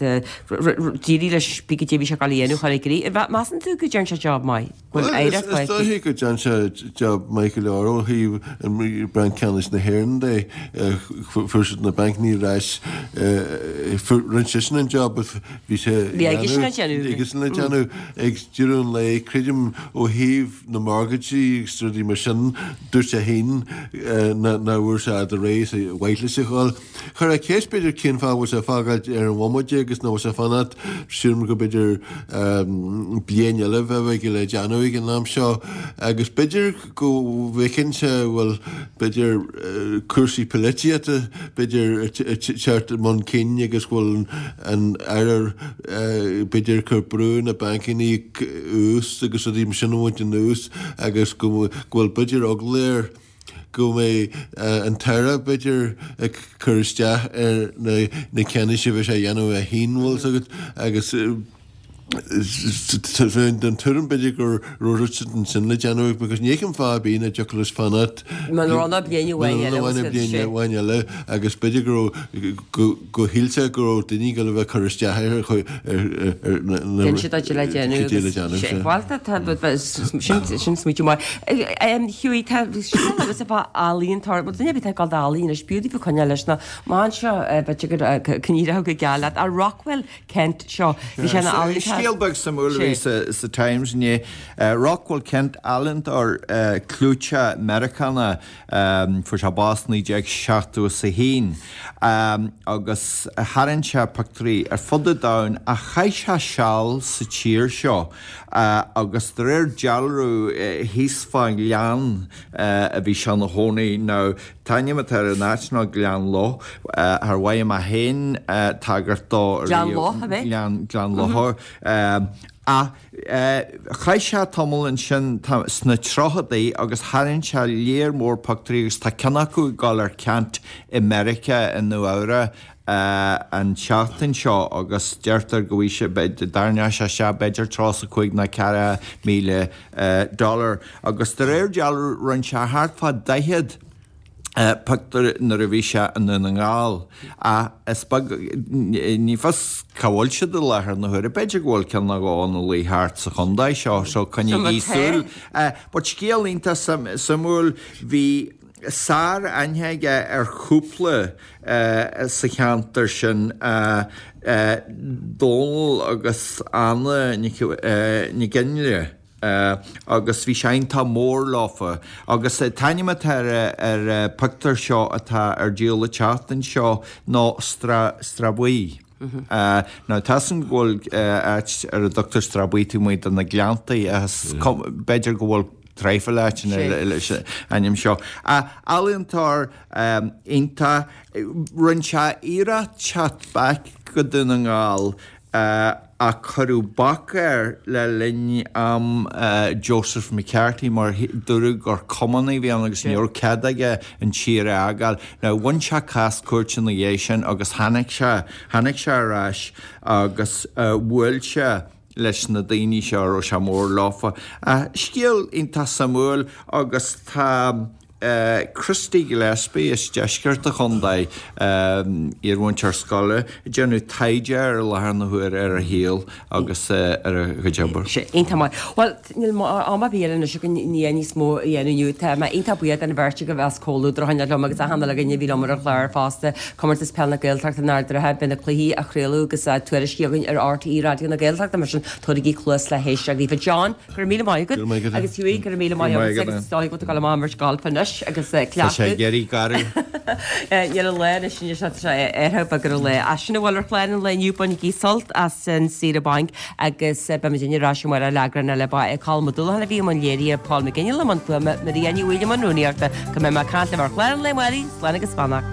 d'éirigh leis pé cad é a bhí sé ag dul a dhéanamh a chur i gcrích. Measann tú go dtearn sé job maith? Go bhfuil oidhreacht Is dóichí go dtearn sé job maith go leor ó thaobh an Banc Ceannais na hÉireann de. é, fuair siad na bancannaí ar ais, rinne seisean an job a bhí sé Bhí aigesean le déanamh. Aigesean le déanamh ag deireadh an lae, creidim ó thaobh na mortgages agus rudaí mar sin, dúirt sé féin nach bhfuair sé fhad réidh is ar mhaith leis a ghabháil. Chuirfeá ceist b'fhéidir cén fáth a bhfuil sé ag fágáilt ar an bhomaite agus nach bhfuil sé ag fanacht, sílim go b'fhéidir bliain eile a bheadh aige le déanamh ag an am seo agus b'fhéidir go bhfeiceann sé bhfuil b'fhéidir cúrsaí polaitíochta b'fhéidir ag teacht chun cinn agus go bhfuil an Aire b'fhéidir ag cur brú ar na bancannaí ús agus rudaí mar sin a bhaint anuas agus go bhfuil b'fhéidir eagla air go mbeidh an tAire b'fhéidir ag cur isteach ar na ceannais a bheidh sé a dhéanamh é féin, bhfuil 's agat, agus tá mé den tuairim b'fhéidir go raibh rud ansin le déanamh because ní fheicim fáth ar bith nach dtiocfadh leis fanacht Muna raibh ná bliain amháin eile muna raibh ná bliain amháin eile agus b'fhéidir go raibh go shíl sé go raibh daoine ag dul a bheith ag cur isteach air ar na Déan siad le déanamh agus le sé bhuel tá tá sin sin smaoitiú maith. Hughie tá scéal agatsa fá ealaíontóir bhuel duine ar bith atá ag dul d'ealaín anois b'fhiú daoibh coinneáil leis na amach anseo b'fhéidir go go n-éireodh go geal leat. Rockwell Kent seo. Bhí sé ina ealaíontóir. Scéal beag suimiúil a bhí sa Times inné. Rockwell Kent, ealaíontóir clúiteach Meiriceánach, fuair sé bás 1971 agus tharraing sé pictiúirí ar fud an domhain ach chaith sé seal sa tír seo agus de réir dealraimh thíos fán ghleann a bhí sé ina chónaí. Now An t-ainm atá ar an áit ná Gleann Loth. Char mhothaigh mé féin tagairt dó ariamh. Gleann Loth, ab é? Gleann, Gleann Locha. Ach chaith sé tamall ansin sna tríochadaí agus tharraing sé léar mór pictiúirí agus tá ceann acu ag dul ar ceant i Meiriceá, i Nua Eabhrac an tseachtain seo agus deirtear go bhfaighidh sé, dtarraingeodh sé isteach b'fhéidir 35 nó 40,000 dollar agus de réir dealraimh rinne sé thart fá 40 pictiúr nuair a bhí sé i nDún na nGall. Ach is beag, ní fios cá bhfuil siad i láthair na huaire. B'fhéidir go bhfuil ceann nó dhó ina luí thart sa chontae seo so coinnígí súil. But scéal iontach suimiúil, bhí sár-aithne aige ar chúpla sa cheantar sin, Dónal agus Anna Nic Fhionnghaile, agus bhí sé iontach mór leofa. Agus an t-ainm atá ar an bpictiúr seo atá ar díol an tseachtain seo ná Srath Buí. Now tá 'fhios a'm go bhfuil áit ar a dtugtar Srath Buí taobh amuigh de na Gleanntaí agus b'fhéidir go bhfuil traidhfil áiteanna leis an ainm seo. Ealaíontóir iontach. Rinne sé iarracht teacht back go Dún na nGall ach cuireadh bac air le linn am Joseph McCarthy mar dúradh gur cumannaí a bhí ann agus ní raibh cead aige an tír a fhágáil. Now bhain sé cás cúirte ina dhiaidh sin agus tháinig sé, tháinig sé ar ais agus bhuail sé leis na daoine seo a raibh sé mór leofa. Scéal iontach suimiúil agus tá Christy Gillespie as deisceart an chontae, iarmhúinteoir scoile, ag déanamh taighde air i láthair na huaire ar a shaol agus ar a chuid obair. Sé iontach maith. Bhuel, níl am ar bith eile anois againn ní níos mó a dhéanamh inniu. Tá mé iontach buíoch den bheirt agaibh as comhluadar a choinneáil liom agus achan uile dhuine a bhí liom ar an chlár fosta. Comórtas Peile na Gaeltachta in Ard an Rátha, beidh na cluichí á chraoladh agus á tuairisciú againn ar RTÉ Raidió na Gaeltachta mar sin tabhairigí cluas le héisteacht daofa. John, Go raibh míle maith agat. Go raibh maith agat. Agus Hughie, go raibh míle maith agat. Agus is dóigh go bhfuil tú ag dul amach imirt gailf anois agus cleachtadh. Tá sé ag éirí garbh. Níl an lá anois anois tá sé éirithe beag ar an lá. Ach sin a bhfuil ar chlár an lae inniu, bainigí sult as an saoire bainc agus beimid ar ais amárach le eagrán eile. Ba é Colm Ó Dúlacháin a bhí i mbun léirithe, Paul McGinley i mbun fuaime, Maria Ní Bhaoill i mbun rúnaíochta. Go mbeidh mé ag caint libh ar chlár an lae amárach, slán agus beannacht.